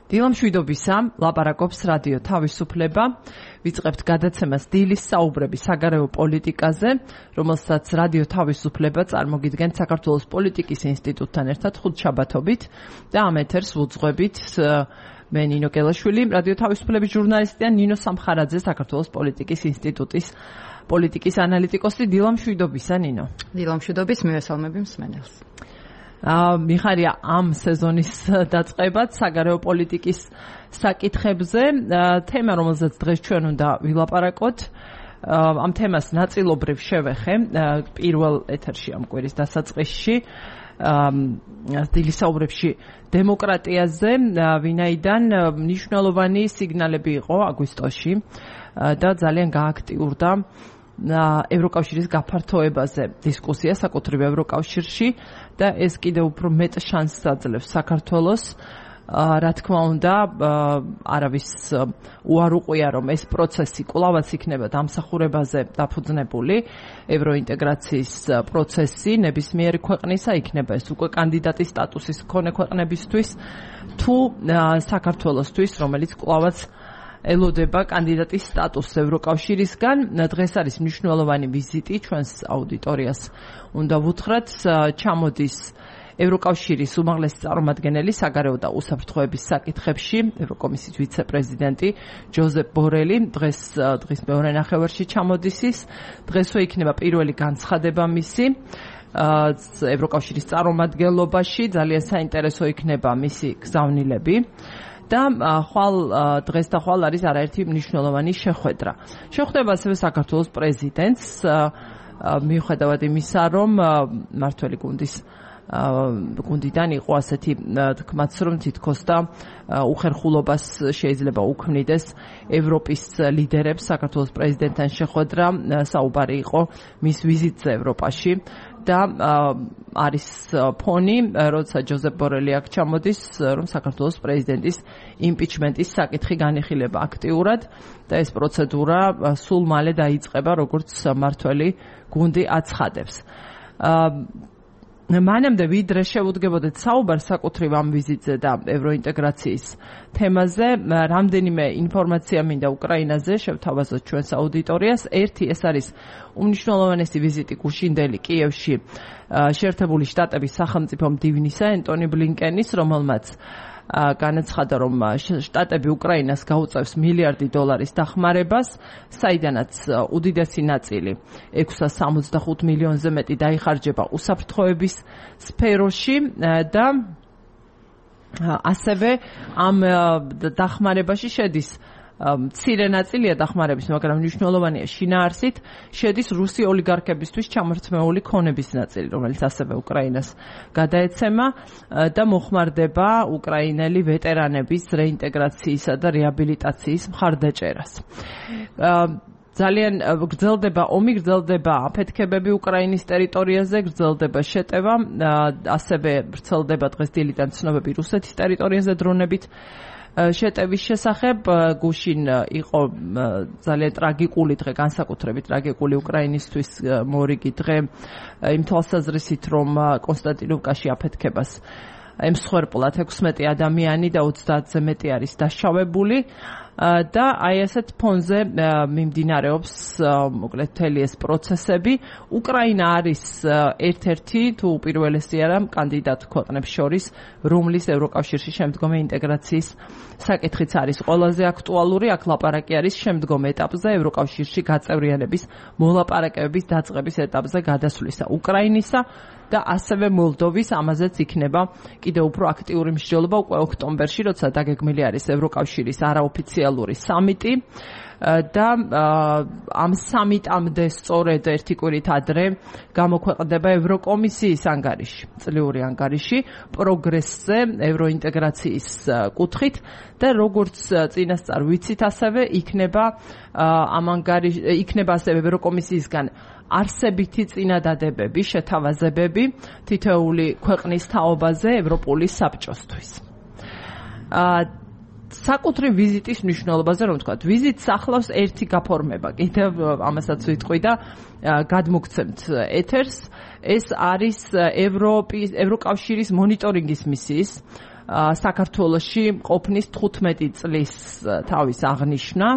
დილამშვიდობისა, ლაპარაკობს რადიო თავისუფლება. ვიწყებთ გადაცემას დილის საუბრები საგარეო პოლიტიკაზე, რომელსაც რადიო თავისუფლება წარმოგიდგენთ საქართველოს პოლიტიკის ინსტიტუტთან ერთად ხუთშაბათობით და ამ ეთერს ვუძღვებით მე ნინო კელაშვილი, რადიო თავისუფლების ჟურნალისტი და ნინო სამხარაძე, საქართველოს პოლიტიკის ინსტიტუტის პოლიტიკის ანალიტიკოსი. დილამშვიდობისა, ნინო. დილამშვიდობის, მივესალმები მსმენელს. მიხარია ამ სეზონის დაწყებად საგარეო პოლიტიკის საკითხებზე, თემა, რომელზეც დღეს ჩვენ უნდა ვილაპარაკოთ. ამ თემას ნაწილობრივ შევეხე პირველ ეთერში ამ კვირის დასაწყისში, დილის საუბრებში დემოკრატიაზე, ვინაიდან მნიშვნელოვანი სიგნალები იყო აგვისტოში და ძალიან გააქტიურდა ევროკავშირის გაფართოებაზე დისკუსია საკუთრივ ევროკავშირში და ეს კიდევ უფრო მეტ შანსს აძლევს საქართველოს. რა თქმა უნდა, არავის უარ უყვია, რომ ეს პროცესი კვლავაც იქნება დამსახურებაზე დაფუძნებული, ევროინტეგრაციის პროცესი ნებისმიერი ქვეყნისა იქნება ეს უკვე კანდიდატის სტატუსის მქონე ქვეყნებისთვის თუ საქართველოსთვის, რომელიც კვლავაც ელოდება კანდიდატის სტატუსს ევროკავშირისგან. დღეს არის მნიშვნელოვანი ვიზიტი, ჩვენს აუდიტორიას უნდა ვუთხრათ, ჩამოდის ევროკავშირის უმაღლესი წარმომადგენელი საგარეო და უსაფრთხოების საკითხებში, ევროკომისიის ვიცე-პრეზიდენტი ჯოზეფ ბორელი, დღის მეორე ნახევარში ჩამოდის ის. დღესვე იქნება პირველი განცხადება მისი ევროკავშირის წარმომადგენლობაში, ძალიან საინტერესო იქნება მისი გზავნილები. და დღეს და ხვალ არის არაერთი მნიშვნელოვანი შეხვედრა. შეხვდება ასევე საქართველოს პრეზიდენტს, მიუხედავად იმისა, რომ მმართველი გუნდიდან იყო ასეთი თქმაც, რომ თითქოს და უხერხულობას შეიძლება უქმნიდეს ევროპის ლიდერებს საქართველოს პრეზიდენტთან შეხვედრა, საუბარი იყო მის ვიზიტზე ევროპაში. და არის ფონი, როცა ჯოზეფ ბორელი აქ ჩამოდის, რომ საქართველოს პრეზიდენტის იმპიჩმენტის საკითხი განიხილება აქტიურად და ეს პროცედურა სულ მალე დაიწყება, როგორც მმართველი გუნდი აცხადებს. მანამდე ვიდრე შევუდგებოდეთ საუბარს საკუთრივ ამ ვიზიტზე და ევროინტეგრაციის თემაზე, რამდენიმე ინფორმაცია მინდა უკრაინაზე შევთავაზოთ ჩვენს აუდიტორიას. ერთი, ეს არის უმნიშვნელოვანესი ვიზიტი გუშინდელი კიევში შეერთებული შტატების სახელმწიფო მდივნისა ენტონი ბლინკენის, რომელმაც განაცხადა, რომ შტატები უკრაინას გაუწევს $1 მილიარდი დახმარებას, საიდანაც უდიდესი ნაწილი 665 მილიონზე მეტი დაიხარჯება უსაფრთხოების სფეროში და ასევე ამ დახმარებაში შედის მცირე ნაწილია დახმარების, მაგრამ მნიშვნელოვანია შინაარსით, შედის რუსი ოლიგარქებისთვის ჩამორთმეული ქონების ნაწილი, რომელიც ასევე უკრაინას გადაეცემა და მოხმარდება უკრაინელი ვეტერანების რეინტეგრაციისა და რეაბილიტაციის მხარდაჭერას. ძალიან ომი გრძელდება აფეთქებები უკრაინის ტერიტორიაზე, გრძელდება შეტევა, ასევე ვრცელდება დღეს დილიდან ცნობები რუსეთის ტერიტორიაზე დრონებით შეტევის შესახებ. გუშინ იყო ძალიან ტრაგიკული დღე, განსაკუთრებით ტრაგიკული უკრაინისთვის მორიგი დღე, იმ თვალსაზრისით, რომ კონსტანტინოვკაში აფეთქებას ემსხვერპლად 16 ადამიანი და 30-ზე მეტი არის დასშავებული. და აი ასეთ ფონზე მიმდინარეობს მოკლედ მთელი ეს პროცესები. უკრაინა არის ერთ-ერთი თუ უპირველესი არა კანდიდატ ქვეყნებს შორის, რომლის ევროკავშირში შემდგომი ინტეგრაციის საკითხიც არის ყველაზე აქტუალური. აქ ლაპარაკი არის შემდგომ ეტაპზე, ევროკავშირში გაწევრიანების მოლაპარაკებების დაწყების ეტაპზე გადასვლისა უკრაინისა და ასევე მოლდოვის. ამაზეც იქნება კიდევ უფრო აქტიური მსჯელობა უკვე ოქტომბერში, როცა დაგეგმილი არის ევროკავშირის არაოფიციალური სამიტი და ამ სამიტამდე სწორედ ერთი კვირით ადრე გამოქვეყნდება ევროკომისიის ანგარიში, წლიური ანგარიში პროგრესზე ევროინტეგრაციის კუთხით და როგორც წინასწარ ვიცით, ასევე იქნება ასევე ევროკომისიისგან არსებითი წინადადებები, შეთავაზებები თითოეული ქვეყნის თაობაზე ევროპული საბჭოსთვის. საკუთრივ ვიზიტის მნიშვნელობაზე რომ ვთქვათ, ვიზიტს ახლავს ერთი გაფორმება. კიდევ ამასაც ვიტყვი და გადმოგცემთ ეთერს. ეს არის ევროკავშირის მონიტორინგის მისიის საქართველოში ყოფნის 15 წლის თავის აღნიშვნა.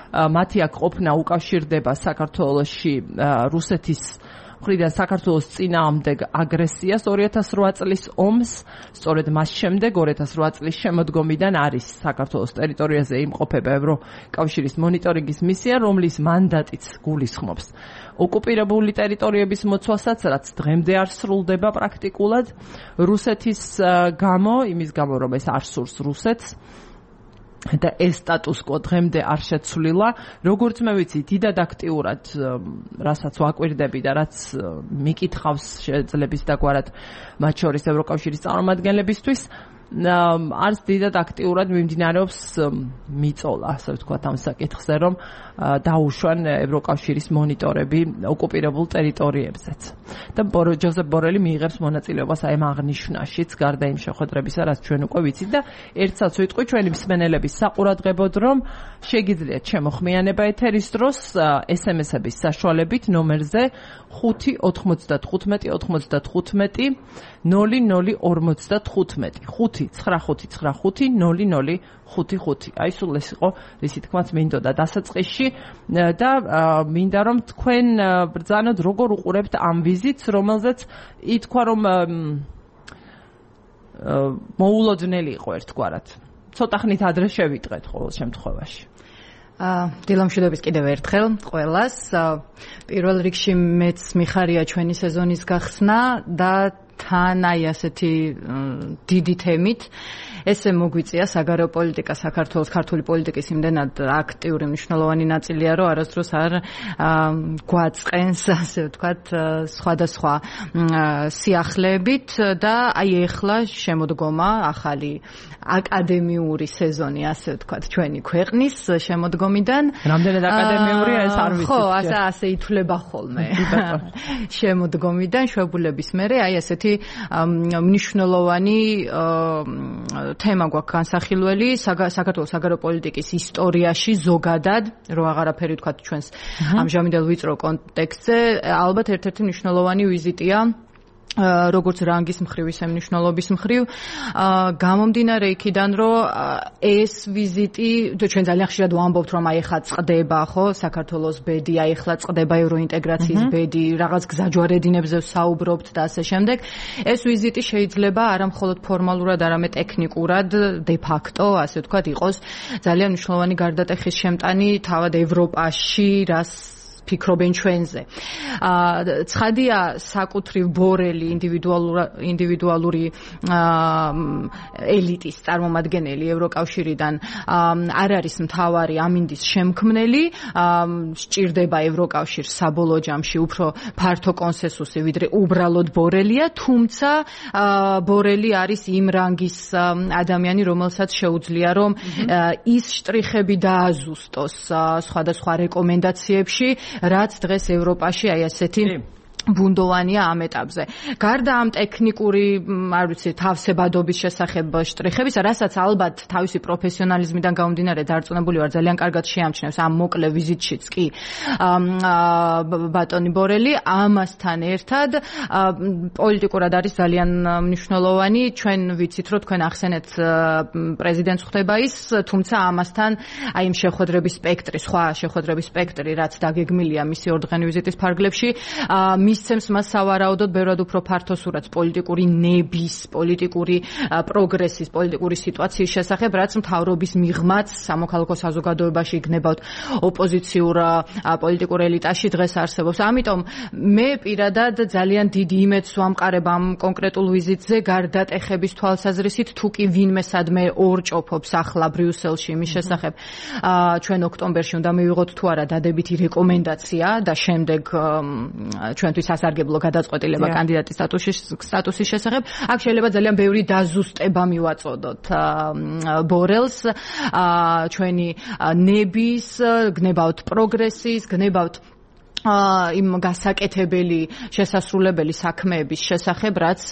მათი აქ ყოფნა უკავშირდება საქართველოში რუსეთის მხრიდან საქართველოს წინააღმდეგ აგრესიას 2008 წლის ომს, სწორედ მას შემდეგ 2008 წლის შემოდგომიდან არის საქართველოს ტერიტორიაზე იმყოფება ევროკავშირის მონიტორინგის მისია, რომლის მანდატიც გულისხმობს ოკუპირებული ტერიტორიების მოცვალსაც, რაც დღემდე არ სრულდება პრაქტიკულად რუსეთის გამო, იმის გამო, რომ ეს არ სურს რუსეთს. და ეს სტატუს კო დღემდე არ შეცვლილა. როგორც მე ვიცი, დიდად აქტიურად, რასაც ვაკვირდები და რაც მიკითხავს შეძლების დაგვარად მათ შორის ევროკავშირის წარმომადგენლებისთვის, არც დიდად აქტიურად მიმდინარეობს მიწოლა, ასე ვთქვათ, ამ საკითხზე, რომ დაუშვან ევროკავშირის მონიტორები ოკუპირებულ ტერიტორიებზეც. და ჯოზეფ ბორელი მიიღებს მონაწილეობას აი ამ აღნიშვნაშიც, გარდა იმ შეხვედრებისა, რაც ჩვენ უკვე ვიცით და ერთსაც ვიტყვი ჩვენი მსმენელების საყურადღებოდ, რომ შეგიძლიათ შემოხმიანება ეთერის დროს SMS-ების საშუალებით ნომერზე 595 95 0055 595 აი სულ ეს იყო რისი თქმაც მინდოდა დასაწყისში და მინდა რომ თქვენ ბრძანოთ როგორ უყურებთ ამ ვიზიტს, რომელზეც ითქვა რომ მოულოდნელი იყო ერთგვარად. ცოტა ხნით ადრე შევიტყეთ ყოველ შემთხვევაში. დილამშვიდობის კიდევ ერთხელ ყველას. პირველ რიგში მეც მიხარია ჩვენი სეზონის გახსნა და თან აი ასეთი დიდი თემით ესე მოგვიწია საგარეო პოლიტიკა საქართველოს ქართული პოლიტიკის იმდენად აქტიური მნიშვნელოვანი ნაწილია, რომ არასდროს არ გვაწყენს, ასე ვთქვათ, სხვადასხვა სიახლეებით და აი ეხლა შემოდგომა ახალი აკადემიური სეზონი, ასე ვთქვათ, ჩვენი ქვეყნის შემოდგომიდან. რამდენად აკადემიურია ეს არ ვიცი. ხო, ასე ითვლება ხოლმე. შემოდგომიდან შვებულების მერე აი ასეთი მნიშვნელოვანი თემა გვაქვს განსახილველი საქართველოს საგარეო პოლიტიკის ისტორიაში ზოგადად, რო აღარაფერი ვთქვათ ჩვენს ამჟამინდელ ვიწრო კონტექსტზე, ალბათ ერთ-ერთი მნიშვნელოვანი ვიზიტია როგორც რანგის მხრივ, ისე მნიშვნელობის მხრივ, გამომდინარე იქიდან, რომ ეს ვიზიტი, ჩვენ ძალიან ხშირად ვამბობთ, რომ აი ახლა წყდება, ხო, საქართველოს ბედი, აი ახლა წყდება ევროინტეგრაციის ბედი, რაღაც გზაჯვარედინებზე ვსაუბრობთ და ასე შემდეგ. ეს ვიზიტი შეიძლება არა მხოლოდ ფორმალურად, არამედ ტექნიკურად, de facto, ასე ვთქვათ, იყოს ძალიან მნიშვნელოვანი გარდატეხის შემტანი თავად ევროპაში, რას ფიქრობენ ჩვენზე. ცხადია საკუთრივ ბორელი ინდივიდუალური ელიტის წარმომადგენელი ევროკავშირიდან არ არის მთავარი ამინდის შემქმნელი, სჭირდება ევროკავშირს საბოლოო ჯამში უფრო ფართო კონსენსუსი, ვიდრე უბრალოდ ბორელია, თუმცა ბორელი არის იმ რანგის ადამიანი, რომელსაც შეუძლია რომ ის შტრიხები დააზუსტოს სხვადასხვა რეკომენდაციებში, რაც დღეს ევროპაში აი ასეთი ბუნდოვანია ამ ეტაპზე. გარდა ამ ტექნიკური, არ ვიცი, თავსებადობის შესახებ შტრიხების, რასაც ალბათ თავისი პროფესიონალიზმიდან გამომდინარე დარწმუნებული ვარ, ძალიან კარგად შეამჩნევს ამ მოკლე ვიზიტშიც კი ბატონი ბორელი, ამასთან ერთად პოლიტიკურად არის ძალიან მნიშვნელოვანი. ჩვენ ვიცით, რომ თქვენ ახსენეთ პრეზიდენტს ხდება ის, თუმცა ამასთან აი იმ შეხვედრების სპექტრი, სხვა შეხვედრების სპექტრი, რაც დაგეგმილია მისი ორდღიანი ვიზიტის ფარგლებში, მისცემს მას სავარაუდოდ ბევრად უფრო ფართო სურათს პოლიტიკური ნების, პოლიტიკური პროგრესის, პოლიტიკური სიტუაციის შესახებ, რაც მთავრობის მიღმაც სამოქალაქო საზოგადოებაში იქნებათ ოპოზიციურ პოლიტიკურ ელიტაში დღეს არსებობს. ამიტომ მე პირადად ძალიან დიდი იმედს ვამყარებ ამ კონკრეტულ ვიზიტზე, გარდატეხების თვალსაზრისით, თუ კი ვინმე სადმე ორჭოფობს ახლა ბრიუსელში იმის შესახებ, ჩვენ ოქტომბერში უნდა მივიღოთ თუ არა დადებითი რეკომენდაცია და შემდეგ ჩვენთვის სასარგებლო გადაწყვეტილება კანდიდატის სტატუსის შესახებ. აქ შეიძლება ძალიან ბევრი დაზუსტება მივაწოდოთ ბორელს, ჩვენი ნების, გნებავთ პროგრესის, გნებავთ იმ გასაკეთებელი შესასრულებელი საქმეების შესახებ, რაც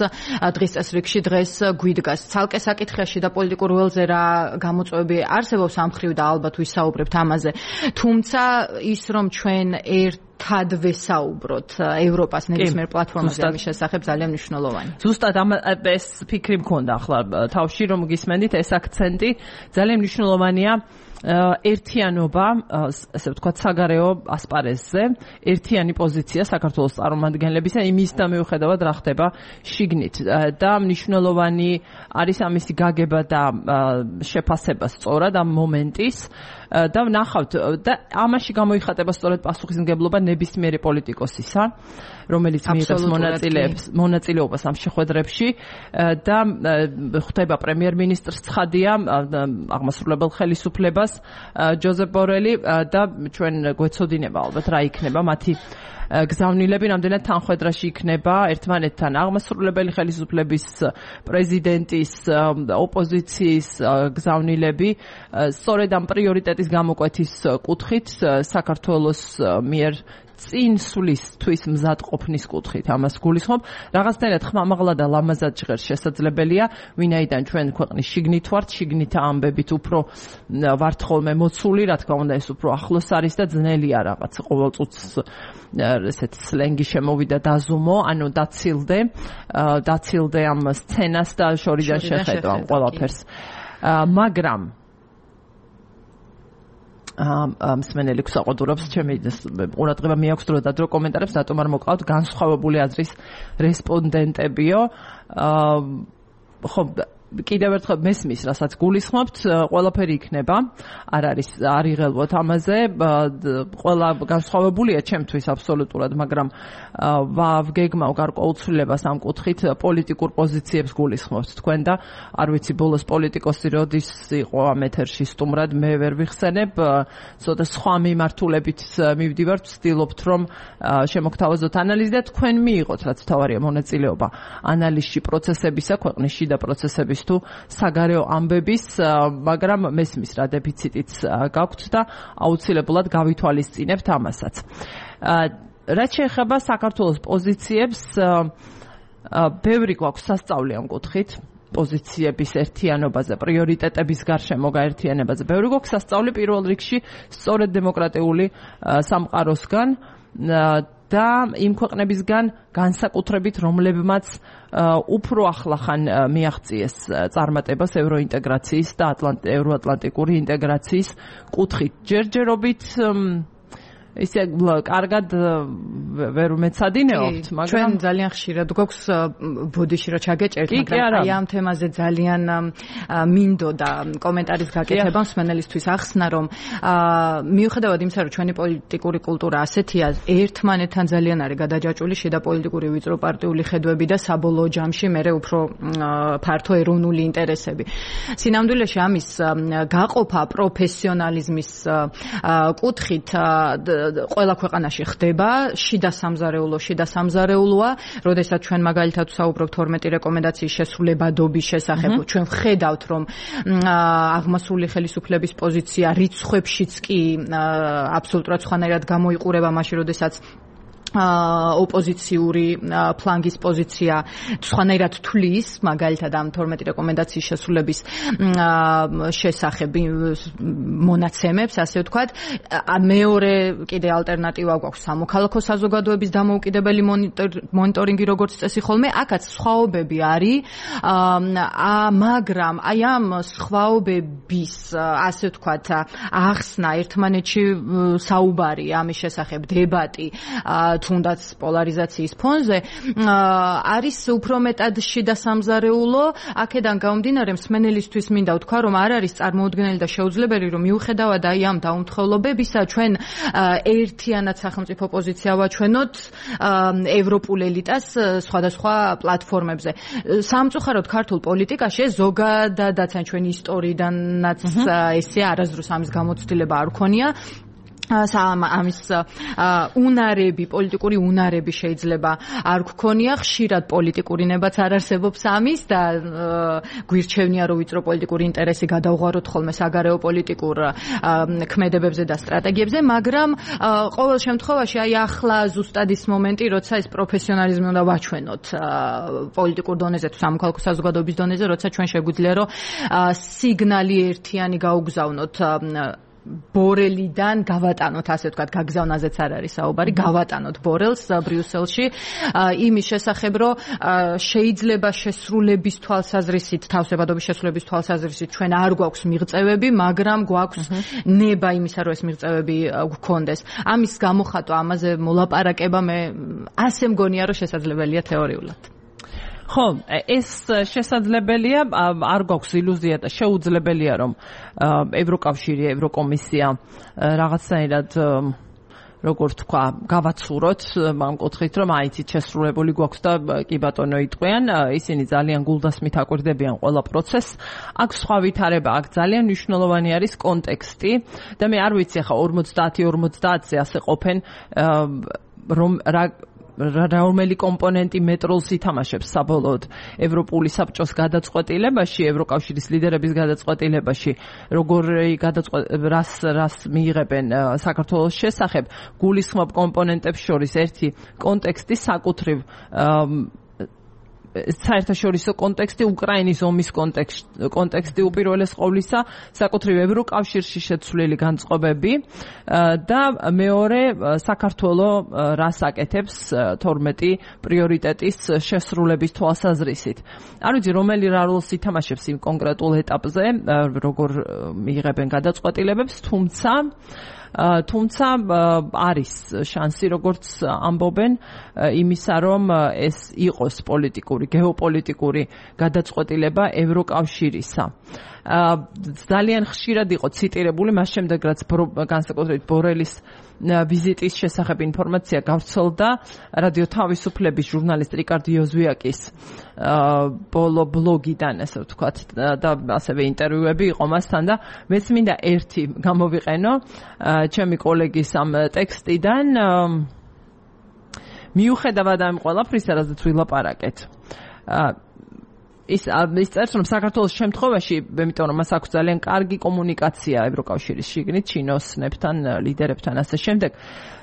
დღის წესრიგში დღეს გვიდგას. ცალკე საკითხში და პოლიტიკურ ველზე რა გამოწვევები არსებობს ამ მხრივ და ალბათ ვისაუბრებთ ამაზე. თუმცა ის რომ ჩვენ ერთად ვესაუბროთ ევროპას ნებისმიერ პლატფორმაზე ამის შესახებ ძალიან მნიშვნელოვანი. ზუსტად ეს ფიქრი მქონდა ახლა თავში რომ გისმენდით ეს აქცენტი ძალიან მნიშვნელოვანია ერთიანობა, ასე ვთქვათ, საგარეო ასპარეზზე, ერთიანი პოზიცია საქართველოს წარმომადგენლებისა იმის და მიუხედავად რა ხდება შიგნით და მნიშვნელოვანი არის ამისი გაგება და შეფასება სწორად ამ მომენტის და ვნახავთ და ამაში გამოიხატება სწორედ პასუხისმგებლობა ნებისმიერი პოლიტიკოსისა, რომელიც მიიღებს მონაწილეობას ამ შეხვედრებში და ხვდება პრემიერ-მინისტრს ცხადია აღმასრულებელ ხელისუფლებას ჯოზეფ ბორელი და ჩვენ გვეცოდინება ალბათ რა იქნება მათი გზავნილები რამდენად თანხვედრაში იქნება ერთმანეთთან აღმასრულებელი ხელისუფლების პრეზიდენტის ოპოზიციის გზავნილები სწორედ ამ პრიორიტეტის გამოკვეთის კუთხით საქართველოს მიერ წინსვლისთვის მზად ყოფნის კუთხით ამას გულისხმობ რაღაცნაირად ხმამაღლა და ლამაზად ჟღერს შესაძლებელია ვინაიდან ჩვენ ქვეყნის შიგნით ვართ შიგნით ამბებით უფრო ვართ ხოლმე მოცული რა თქმა უნდა ეს უფრო ახლოს არის და ძნელია რაღაც ყოველ წუთს ესეთ სლენგი შემოვიდა დაზუმო ანუ დაცილდე ამ სცენას და შორიდან შეხედვა ყველაფერს მაგრამ მსმენელი გვსაყვედურობს ჩემი ყურადღება მიაქვს დრო და დრო კომენტარებს რატომ არ მოკავთ განსხვავებული აზრის რესპონდენტებიო ხო კიდევ ერთხელ მესმის რასაც გულისხმობთ ყველაფერი იქნება არ იღელვოთ ამაზე ყველა განსხვავებულია ჩემთვის აბსოლუტურად მაგრამ ვგეგმავ გარკვეულცვლილებას ამ კუთხით პოლიტიკურ პოზიციებს გულისხმობთ თქვენ და არ ვიცი ბოლოს პოლიტიკოსი როდის იყო ამ ეთერში სტუმრად მე ვერ ვიხსენებ ცოტა სხვა მიმართულებით მივდივართ ვცდილობთ რომ შემოგთავაზოთ ანალიზი და თქვენ მიიღოთ რაც თავარია მონაწილეობა ანალიზში პროცესებისა ქვეყნის შიდა პროცესების თუ საგარეო ამბების, მაგრამ მესმის რა დეფიციტიც გაქვთ და აუცილებლად გავითვალისწინებთ ამასაც. რაც შეეხება საქართველოს პოზიციებს, ბევრი გვაქვს სასწაული ამ კუთხით. პოზიციების ერთიანობაზე, პრიორიტეტების გარშემო გაერთიანებაზე. ბევრი გვაქვს სასწაული პირველ რიგში სწორედ დემოკრატიული სამყაროსგან და იმ ქვეყნებისგან განსაკუთრებით რომლებმაც უფრო ახლახან მიაღწიეს წარმატებას ევროინტეგრაციის და ევროატლანტიკური ინტეგრაციის კუთხით. ჯერჯერობით ისე კარგად ვერ მეცადინეობთ, მაგრამ ჩვენ ძალიან ხშირად გვაქვს ბოდიში რომ ჩაგეჭერთ, მაგრამ აი ამ თემაზე ძალიან მინდოდა კომენტარის გაკეთება მსმენელისთვის ახსნა, რომ მიუხედავად იმისა, რომ ჩვენი პოლიტიკური კულტურა ასეთია, ერთმანეთთან ძალიან არის გადაჯაჭვული შიდა პოლიტიკური ვიწრო პარტიული ხედვები და საბოლოო ჯამში მე უფრო ფართო ეროვნული ინტერესები. სინამდვილეში ამის გაყოფა პროფესიონალიზმის კუთხით ყველა ქვეყანაში ხდება, შიდა სამზარეულოა, როდესაც ჩვენ მაგალითად ვსაუბრობთ 12 რეკომენდაციის შესრულებადობის შესახებ, ჩვენ ვხედავთ, რომ აღმასრულებელი ხელისუფლების პოზიცია რიცხვებშიც კი აბსოლუტურად სხვანაირად გამოიყურება მაშინ, როდესაც ოპოზიციური ფლანგის პოზიცია სხვანაირად თulis მაგალითად ამ 12 რეკომენდაციის შესრულების შესახებ მონაცემებს ასე ვთქვათ მეორე კიდე ალტერნატივა გვაქვს სამოქალაქო საზოგადოების დამოუკიდებელი მონიტორინგი როგორც წესი ხოლმე აქაც სხვაობები არის მაგრამ აი ამ სხვაობების ასე ვთქვათ ახსნა ერთმანეთში საუბარი ამის შესახებ დებატი თუნდაც პოლარიზაციის ფონზე არის უფრო მეტად შიდა სამზარეულო აქედან გამომდინარე მსმენელისთვის მინდა ვთქვა რომ არ არის წარმოუდგენელი და შეუძლებელი რომ მიუხედავად აი ამ დაუმთხოვნლობებისა ჩვენ ერთიანად სახელმწიფო პოზიცია ვაჩვენოთ ევროპულ ელიტას სხვადასხვა პლატფორმებზე სამწუხაროდ ქართულ პოლიტიკაში ზოგადადაც ჩვენი ისტორიიდანაც ესე არასდროს ამის გამოცდილება არ ქონია ამის უნარები, პოლიტიკური უნარები შეიძლება არ გქონია, ხშირად პოლიტიკური ნებაც არ არსებობს ამის და გვირჩევნია რომ ვიწრო პოლიტიკური ინტერესი გადავღვაროთ ხოლმე საგარეო პოლიტიკურ ქმედებებზე და სტრატეგიებზე, მაგრამ ყოველ შემთხვევაში აი ახლა ზუსტად ის მომენტი, როცა ეს პროფესიონალიზმი უნდა ვაჩვენოთ პოლიტიკურ დონეზე თუ სამოქალაქო საზოგადოების დონეზე, როცა ჩვენ შეგვიძლია რომ სიგნალი ერთიანი გაუგზავნოთ ბორელიდან გავატანოთ, ასე ვთქვათ, გაგზავნაზეც არ არის საუბარი, გავატანოთ ბორელს ბრიუსელში, იმის შესახებ, რომ შეიძლება შესრულების თვალსაზრისით, თავსებადობის შესრულების თვალსაზრისით ჩვენ არ გვაქვს მიღწევები, მაგრამ გვაქვს ნება იმისა, რომ ეს მიღწევები გვქონდეს. ამის გამოხატვა, ამაზე მოლაპარაკება მე ასე მგონია, რომ შესაძლებელია თეორიულად. ხო, ეს შესაძლებელია, არ გვაქვს ილუზია და შეუძლებელია, რომ ევროკავშირი, ევროკომისია რაღაცნაირად როგორც თქვა, გავაცუროთ ამ კუთხით, რომ აიცით შესრულებული გვაქვს და კი ბატონო იტყვიან, ისინი ძალიან გულდასმით აკვირდებიან ყველა პროცესს. აქ სხვა ვითარება, აქ ძალიან მნიშვნელოვანი არის კონტექსტი და მე არ ვიცი ახლა 50-50-ზე ასე ყოფენ, რომ რომელი კომპონენტი მეტროლს ითამაშებს საბოლოოდ ევროპული საბჭოს გადაწყვეტილებაში, ევროკავშირის ლიდერების გადაწყვეტილებაში, რას მიიღებენ საქართველოს შესახებ, გულისხმობ კომპონენტებს შორის ერთი კონტექსტი საკუთრივ საერთაშორისო კონტექსტი, უკრაინის ომის კონტექსტი უპირველეს ყოვლისა, საკუთრივ ევროკავშირში შეცვლილი განწყობები და მეორე საქართველოს რას აკეთებს 12 პრიორიტეტის შესრულების თვალსაზრისით. არ ვიცი, რომელი როლს ითამაშებს იმ კონკრეტულ ეტაპზე, როგორ მიიღებენ გადაწყვეტილებებს, თუმცა არის შანსი, როგორც ამბობენ, იმისა, რომ ეს იყოს პოლიტიკური, გეოპოლიტიკური გადაწყვეტილება ევროკავშირისა. ძალიან ხშირად იყო ციტირებული, მას შემდეგ რაც განსაკუთრებით ბორელის ვიზიტის შესახებ ინფორმაცია გავრცელდა რადიო თავისუფლების ჟურნალისტ რიკარდ იოზვიაკის ბოლო ბლოგიდან, ასე ვთქვათ, და ასევე ინტერვიუები იყო მასთან და მეც მინდა ერთი გამოვიყენო ჩემი კოლეგის ამ ტექსტიდან, მიუხედავად ამ ყველაფრისა, რაზეც ვილაპარაკეთ. ის წერს, რომ საქართველოს შემთხვევაში, იმიტომ რომ მას აქვს ძალიან კარგი კომუნიკაცია ევროკავშირის შიგნით, ჩინოსნებთან, ლიდერებთან, ასე შემდეგ.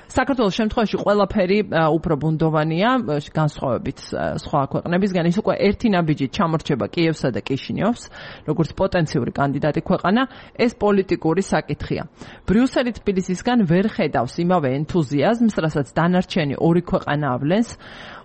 საქართველოს შემთხვევაში ყველაფერი უფრო ბუნდოვანია, განსხვავებით სხვა ქვეყნებისგან. ის უკვე ერთი ნაბიჯით ჩამორჩება კიევსა და კიშინიოვს, როგორც პოტენციური კანდიდატი ქვეყანა, ეს პოლიტიკური საკითხია. ბრიუსელი თბილისისგან ვერ ხედავს იმავე ენთუზიაზმს, რასაც დანარჩენი ორი ქვეყანა ავლენს.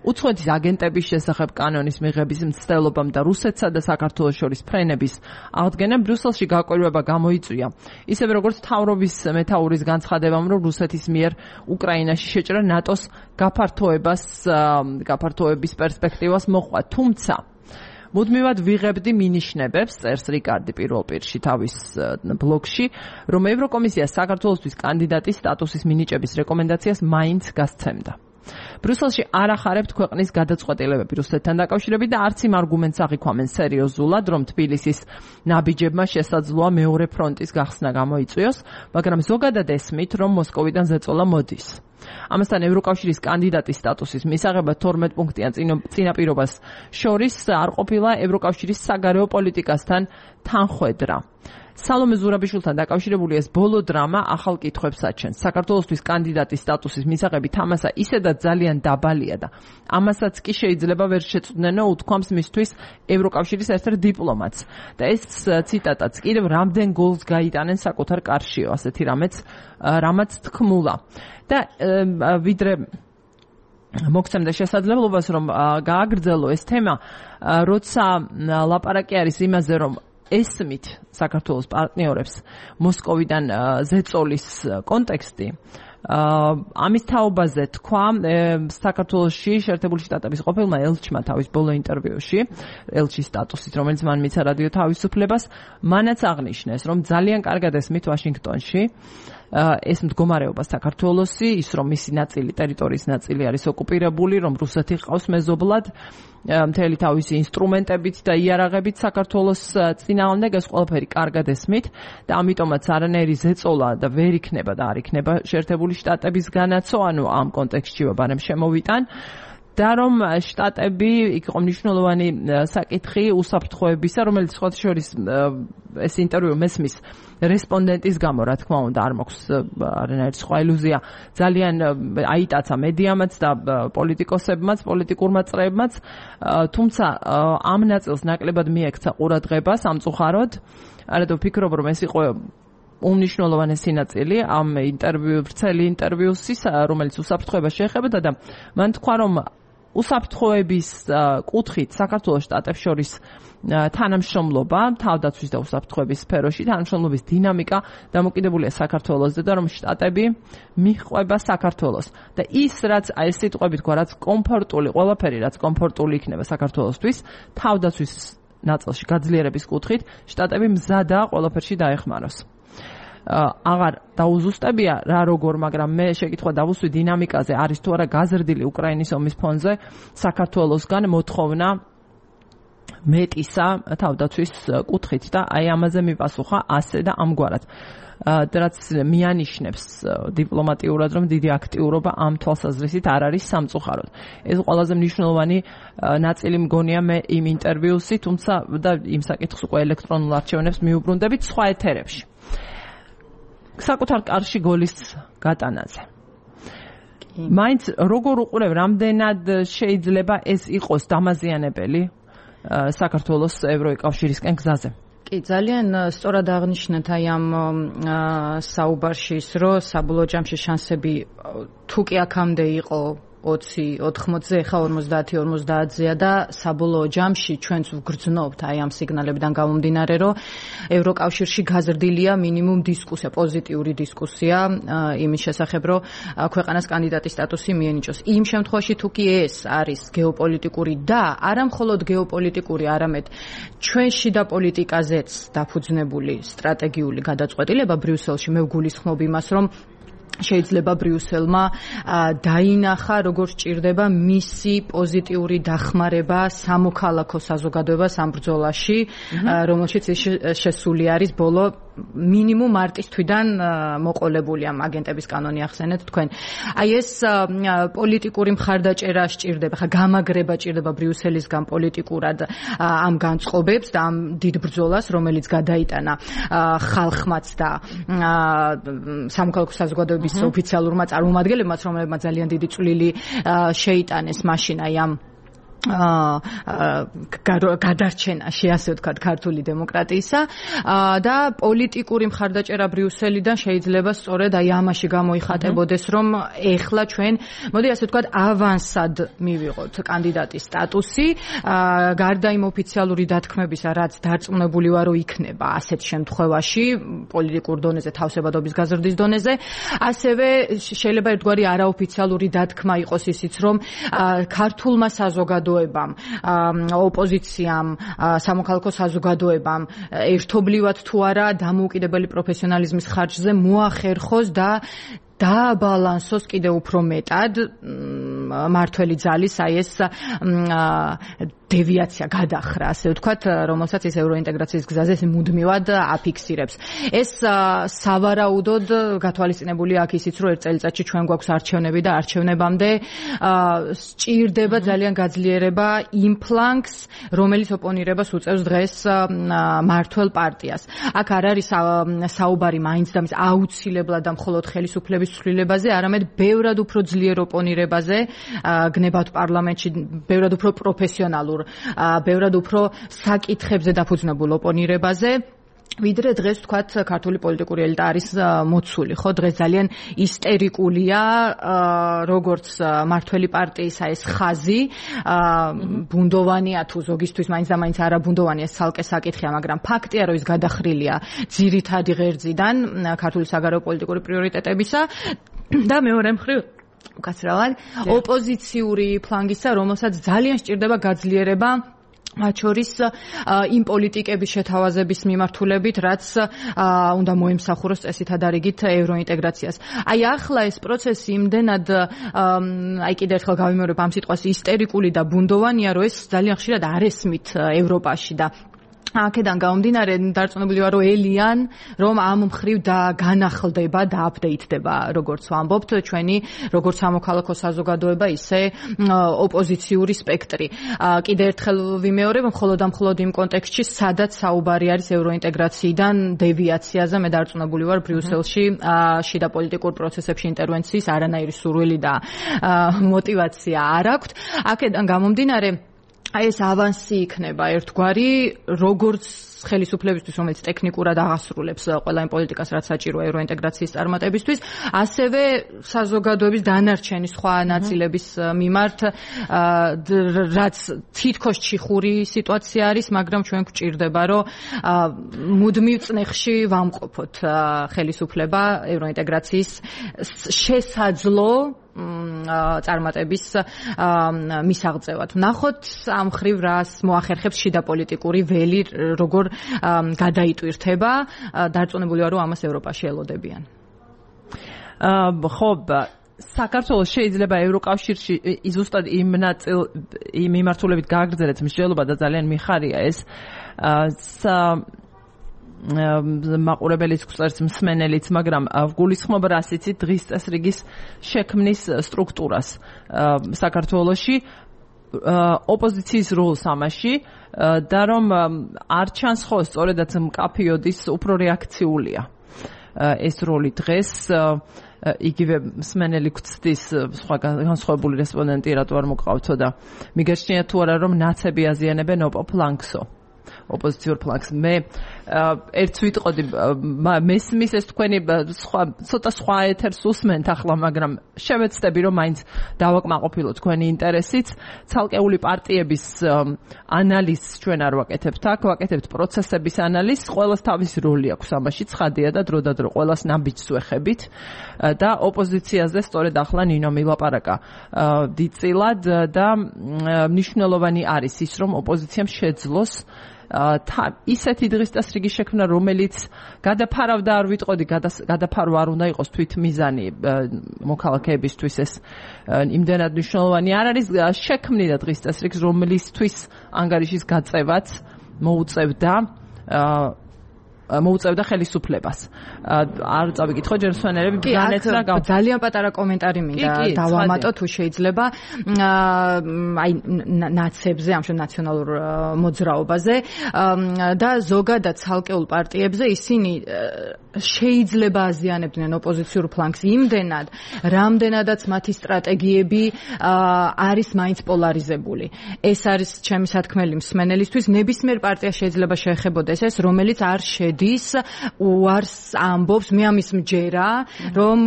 უცხოეთის აგენტების შესახებ კანონის მიღების მცდელობამ და რუსეთსა და საქართველოს შორის ფრენების აღდგენა ბრიუსელში გაკვირვება გამოიწვია. ისევე როგორც მთავრობის მეთაურის განცხადებამ, რომ რუსეთის მიერ უკრაინაში შეჭრა ნატოს გაფართოების პერსპექტივას მოჰყვა. თუმცა მუდმივად ვიღებდი მინიშნებებს, წერს რიკარდი პირველ პირში თავის ბლოგში, რომ ევროკომისია საქართველოსთვის კანდიდატის სტატუსის მინიჭების რეკომენდაციას მაინც გასცემდა. ბრიუსელში არ ახარებთ ქვეყნის გადაწყვეტილებები რუსეთთან დაკავშირებით და არც იმ არგუმენტს აღიქვამენ სერიოზულად, რომ თბილისის ნაბიჯებმა შესაძლოა მეორე ფრონტის გახსნა გამოიწვიოს, მაგრამ ზოგადად ესმით, რომ მოსკოვიდან ზეწოლა მოდის. ამასთან ევროკავშირის კანდიდატის სტატუსის მისაღებად 12 პუნქტიან წინაპირობას შორის არ ყოფილა ევროკავშირის საგარეო პოლიტიკასთან თანხვედრა. სალომე ზურაბიშვილთან დაკავშირებული ეს ბოლო დრამა ახალ კითხვებს აჩენს. საქართველოსთვის კანდიდატის სტატუსის მისაღები თამასა ისედაც ძალიან დაბალია და ამასაც კი შეიძლება ვერ შეწვდნენო, უთქვამს მისთვის ევროკავშირის ერთ-ერთ დიპლომატს. და ეს ციტატაც კიდევ რამდენ გოლს გაიტანენ საკუთარ კარშიო, ასეთი რამაც თქმულა. და ვიდრე მოგცემდა შესაძლებლობას, რომ გააგრძელო ეს თემა, როცა ლაპარაკი არის იმაზე, რომ ესმით საქართველოს პარტნიორებს მოსკოვიდან ზეწოლის კონტექსტი, ამის თაობაზე თქვა საქართველოში შეერთებული შტატების ყოფილმა ელჩმა თავის ბოლო ინტერვიუში, ელჩის სტატუსით, რომელიც მან მიცა რადიო თავისუფლებას, მანაც აღნიშნეს, რომ ძალიან კარგად ესმით ვაშინგტონში ეს მდგომარეობა საქართველოსი, ის რომ მისი ნაწილი, ტერიტორიის ნაწილი არის ოკუპირებული, რომ რუსეთი ყავს მეზობლად, მთელი თავისი ინსტრუმენტებით და იარაღებით საქართველოს წინააღმდეგ, ეს ყველაფერი კარგად ესმით და ამიტომაც არანაირი ზეწოლა და ვერ იქნება და არ იქნება შეერთებული შტატებისგანაცო, ანუ ამ კონტექსტში ვაბარემ შემოვიტან. და რომ შტატები იქ იყო მნიშვნელოვანი საკითხი უსაფრთხოებისა, რომელიც სხვა შორის ეს ინტერვიუ მესმის რესპონდენტის გამო, რა თქმა უნდა, არ მაქვს არანაირი სხვა ილუზია, ძალიან აიტაცა მედიამაც და პოლიტიკოსებმაც, პოლიტიკურმა წრეებმაც, თუმცა ამ ნაწილს ნაკლებად მიექცა ყურადღება სამწუხაროდ. არადო ვფიქრობ, რომ ეს იყო უმნიშვნელოვანესი ნაწილი ამ ვრცელი ინტერვიუსის, რომელიც უსაფრთხოებას შეეხებოდა და მან თქვა, რომ უსაფრთხოების კუთხით საქართველოს შტატებს შორის თანამშრომლობა თავდაცვის და უსაფრთხოების სფეროში, თანამშრომლობის დინამიკა დამოკიდებულია საქართველოსზე და რომ შტატები მიჰყვება საქართველოს და ის რაც აი სიტყვებით თქვა, რაც კომფორტული, ყველაფერი რაც კომფორტული იქნება საქართველოსთვის, თავდაცვის ნაწილში გაძლიერების კუთხით შტატები მზადაა ყველაფერში დაეხმაროს. აღარ დაუზუსტებია რა როგორ, მაგრამ მე შეკითხვა დავუსვი დინამიკაზე, არის თუ არა გაზრდილი უკრაინის ომის ფონზე საქართველოსგან მოთხოვნა მეტისა თავდაცვის კუთხით და აი ამაზე მიპასუხა ასე და ამგვარად. რაც მიანიშნებს დიპლომატიურად, რომ დიდი აქტიურობა ამ თვალსაზრისით არ არის სამწუხაროდ. ეს ყველაზე მნიშვნელოვანი ნაწილი მგონია მე იმ ინტერვიუსი, თუმცა და იმ საკითხს უკვე ელექტრონულ არჩევნებს მიუბრუნდებით სხვა ეთერებში. საკუთარ კარში გოლის გატანაზე. მაინც როგორ უყურებ, რამდენად შეიძლება ეს იყოს დამაზიანებელი საქართველოს ევროკავშირისკენ გზაზე? კი, ძალიან სწორად აღნიშნეთ აი ამ საუბარში ის, რომ საბოლოო ჯამში შანსები თუ კი აქამდე იყო 20, 80-ზე, ხა 50-50-ზეა და საბოლოო ჯამში ჩვენც ვგრძნობთ აი ამ სიგნალებიდან გამომდინარე, რომ ევროკავშირში გაზრდილია მინიმუმ დისკუსია, პოზიტიური დისკუსია იმის შესახებ, რომ ქვეყანას კანდიდატის სტატუსი მიენიჭოს. იმ შემთხვევაში თუ კი ეს არის გეოპოლიტიკური და არა მხოლოდ გეოპოლიტიკური, არამედ ჩვენში და პოლიტიკაზეც დაფუძნებული სტრატეგიული გადაწყვეტილება ბრიუსელში, მე ვგულისხმობ იმას, რომ შეიძლება ბრიუსელმა დაინახა როგორ სჭირდება მისი პოზიტიური დახმარება სამოქალაქო საზოგადოებას ამ ბრძოლაში, რომელშიც შესული არის ბოლო მინიმუმ მარტის თვიდან მოყოლებული ამ აგენტების კანონი ახსენეთ თქვენ. აი ეს პოლიტიკური მხარდაჭერა სჭირდება, ხა გამაგრება სჭირდება ბრიუსელისგან პოლიტიკურად ამ განწყობებს და ამ დიდ ბრძოლას, რომელიც გადაიტანა ხალხმაც და სამოქალაქო საზოგადოების ოფიციალურმა წარმომადგენლებმაც, რომლებმაც ძალიან დიდი წვლილი შეიტანეს მაშინ აი ამ გადარჩენაში, ასე ვთქვათ, ქართული დემოკრატიისა და პოლიტიკური მხარდაჭერა ბრიუსელიდან შეიძლება სწორედ აი ამაში გამოიხატებოდეს, რომ ეხლა ჩვენ, მოდი ასე ვთქვათ, ავანსად მივიღოთ კანდიდატის სტატუსი, გარდა იმ ოფიციალური დათქმებისა, რაც დარწმუნებული ვარ, რომ იქნება ასეთ შემთხვევაში პოლიტიკურ დონეზე, თავსებადობის გაზრდის დონეზე, ასევე შეიძლება ერთგვარი არაოფიციალური დათქმა იყოს ისიც, რომ ქართულმა საზოგადოებამ, ოპოზიციამ, სამოქალაქო საზოგადოებამ ერთობლივად თუ არა დამოუკიდებელი პროფესიონალიზმის ხარჯზე მოახერხოს და დააბალანსოს კიდევ უფრო მეტად მართველი ძალის აი ეს დევიაცია გადახრა, ასე ვთქვათ, რომელსაც ის ევროინტეგრაციის გზაზე მუდმივად აფიქსირებს. ეს სავარაუდოდ გათვალისწინებულია აქ ისიც, რომ ერთ წელიწადში ჩვენ გვაქვს არჩევნები და არჩევნებამდე სჭირდება ძალიან გაძლიერება იმ ფლანგს, რომელიც ოპონირებას უწევს დღეს მართველ პარტიას. აქ არ არის საუბარი მაინც და მის აუცილებლად და მხოლოდ ხელისუფლების ცვლილებაზე, არამედ ბევრად უფრო ძლიერ ოპონირებაზე, გნებავთ პარლამენტში, ბევრად უფრო პროფესიონალურ, ბევრად უფრო საკითხებზე დაფუძნებულ ოპონირებაზე, ვიდრე დღეს ვთქვათ ქართული პოლიტიკური ელიტა არის მოცული, ხო? დღეს ძალიან ისტერიკულია როგორც მართველი პარტიისა ეს ხაზი, ბუნდოვანია თუ ზოგისთვის მაინც და მაინც არა ბუნდოვანია, ეს ცალკე საკითხია, მაგრამ ფაქტია, რომ ის გადახრილია ძირითადი ღერძიდან ქართული საგარეო პოლიტიკური პრიორიტეტებისა და მეორე მხრივ უკაცრავად ოპოზიციური ფლანგისა, რომელსაც ძალიან სჭირდება გაძლიერება მათ შორის იმ პოლიტიკების შეთავაზების მიმართულებით, რაც უნდა მოემსახუროს წესითა დარიგით ევროინტეგრაციას. აი ახლა ეს პროცესი იმდენად აი კიდევ ერთხელ გავიმეორებ ამ სიტყვას ისტერიკული და ბუნდოვანია, რომ ეს ძალიან ხშირად არ ესმით ევროპაში და აქედან გამომდინარე დარწმუნებული ვარ, რომ ელიან, რომ ამ მხრივ და განახლდება და აპდეიტდება, როგორც ვამბობთ, ჩვენი როგორც სამოქალაქო საზოგადოება, ისე ოპოზიციური სპექტრი. კიდევ ერთხელ ვიმეორებ, მხოლოდ იმ კონტექსტში, სადაც საუბარი არის ევროინტეგრაციიდან დევიაციაზე, მე დარწმუნებული ვარ, ბრიუსელში შიდა პოლიტიკურ პროცესებში ინტერვენციის არანაირი სურვილი და мотивация არ აქვთ. აქედან გამომდინარე აი ეს ავანსი იქნება ერთგვარი, როგორც ხელისუფლებისთვის, რომელიც ტექნიკურად აღასრულებს ყველა იმ პოლიტიკას, რაც საჭიროა ევროინტეგრაციის წარმატებისთვის, ასევე საზოგადოების დანარჩენი სხვა ნაწილების მიმართ, რაც თითქოს ჩიხური სიტუაცია არის, მაგრამ ჩვენ გვჭირდება, რომ მუდმივ წნეხში ვამყოფოთ ხელისუფლება ევროინტეგრაციის შესაძლო წარმატების მისაღწევად. ვნახოთ ამ ხრივ რას მოახერხებს შიდა პოლიტიკური ველი, როგორ გადაიტვირთება, დარწმუნებული ვარ, რომ ამას ევროპაში ელოდებიან. ხო, საქართველოს შეიძლება ევროკავშირში ზუსტად იმ მიმართულებით გააგრძელეთ მსჯელობა და ძალიან მიხარია ეს მაყურებელიც გვწერს მსმენელიც, მაგრამ გულისხმობ რას იცით დღის წესრიგის შექმნის სტრუქტურას საქართველოში, ოპოზიციის როლს ამაში და რომ არ ჩანს ხო სწორედაც მკაფიოდის უფრო რეაქციულია ეს როლი დღეს იგივე მსმენელი გვცდის სხვა განსხვავებული რესპონდენტი რატო არ მოგყავთო და მიგეჩნია თუ არა რომ ნაცები აზიანებენ ოპოფლანგსო ოპოზიციურ ფლანგს. მე ერთს ვიტყოდი, მესმის ეს თქვენი ცოტა სხვა ეთერს უსმენთ ახლა, მაგრამ შევეცდები რომ მაინც დავაკმაყოფილოთ თქვენი ინტერესიც. ცალკეული პარტიების ანალიზს ჩვენ არ ვაკეთებთ აქ, ვაკეთებთ პროცესების ანალიზს, ყველას თავისი როლი აქვს ამაში, ცხადია და დროდადრო ყველას ნაბიჯს ვეხებით და ოპოზიციაზე სწორედ ახლა ნინო მილაპარაკა დიდწილად და მნიშვნელოვანი არის ის, რომ ოპოზიციამ შეძლოს ისეთი დღის წესრიგის შექმნა, რომელიც გადაფარავდა არ ვიტყოდი, გადაფარვა არ უნდა იყოს თვით მიზანი მოქალაქეებისთვის ეს იმდენად მნიშვნელოვანი არ არის, შექმნიდა დღის წესრიგს, რომლისთვის ანგარიშის გაწევაც მოუწევდა ხელისუფლებას. არ წავიკითხო ჯერ მსმენელები განეცდა ძალიან პატარა კომენტარი მინდა დავამატო თუ შეიძლება აი ნაცებზე, ამ ნაციონალურ მოძრაობაზე და ზოგადად ცალკეულ პარტიებზე ისინი შეიძლება აზიანებდნენ ოპოზიციურ ფლანგს იმდენად, რამდენადაც მათი სტრატეგიები არის მაინც პოლარიზებული. ეს არის ჩემი სათქმელი მსმენელისთვის, ნებისმიერ პარტია შეიძლება შეეხებოდეს ეს, რომელიც არ შედის უარს ამბობს, მე ამის მჯერა, რომ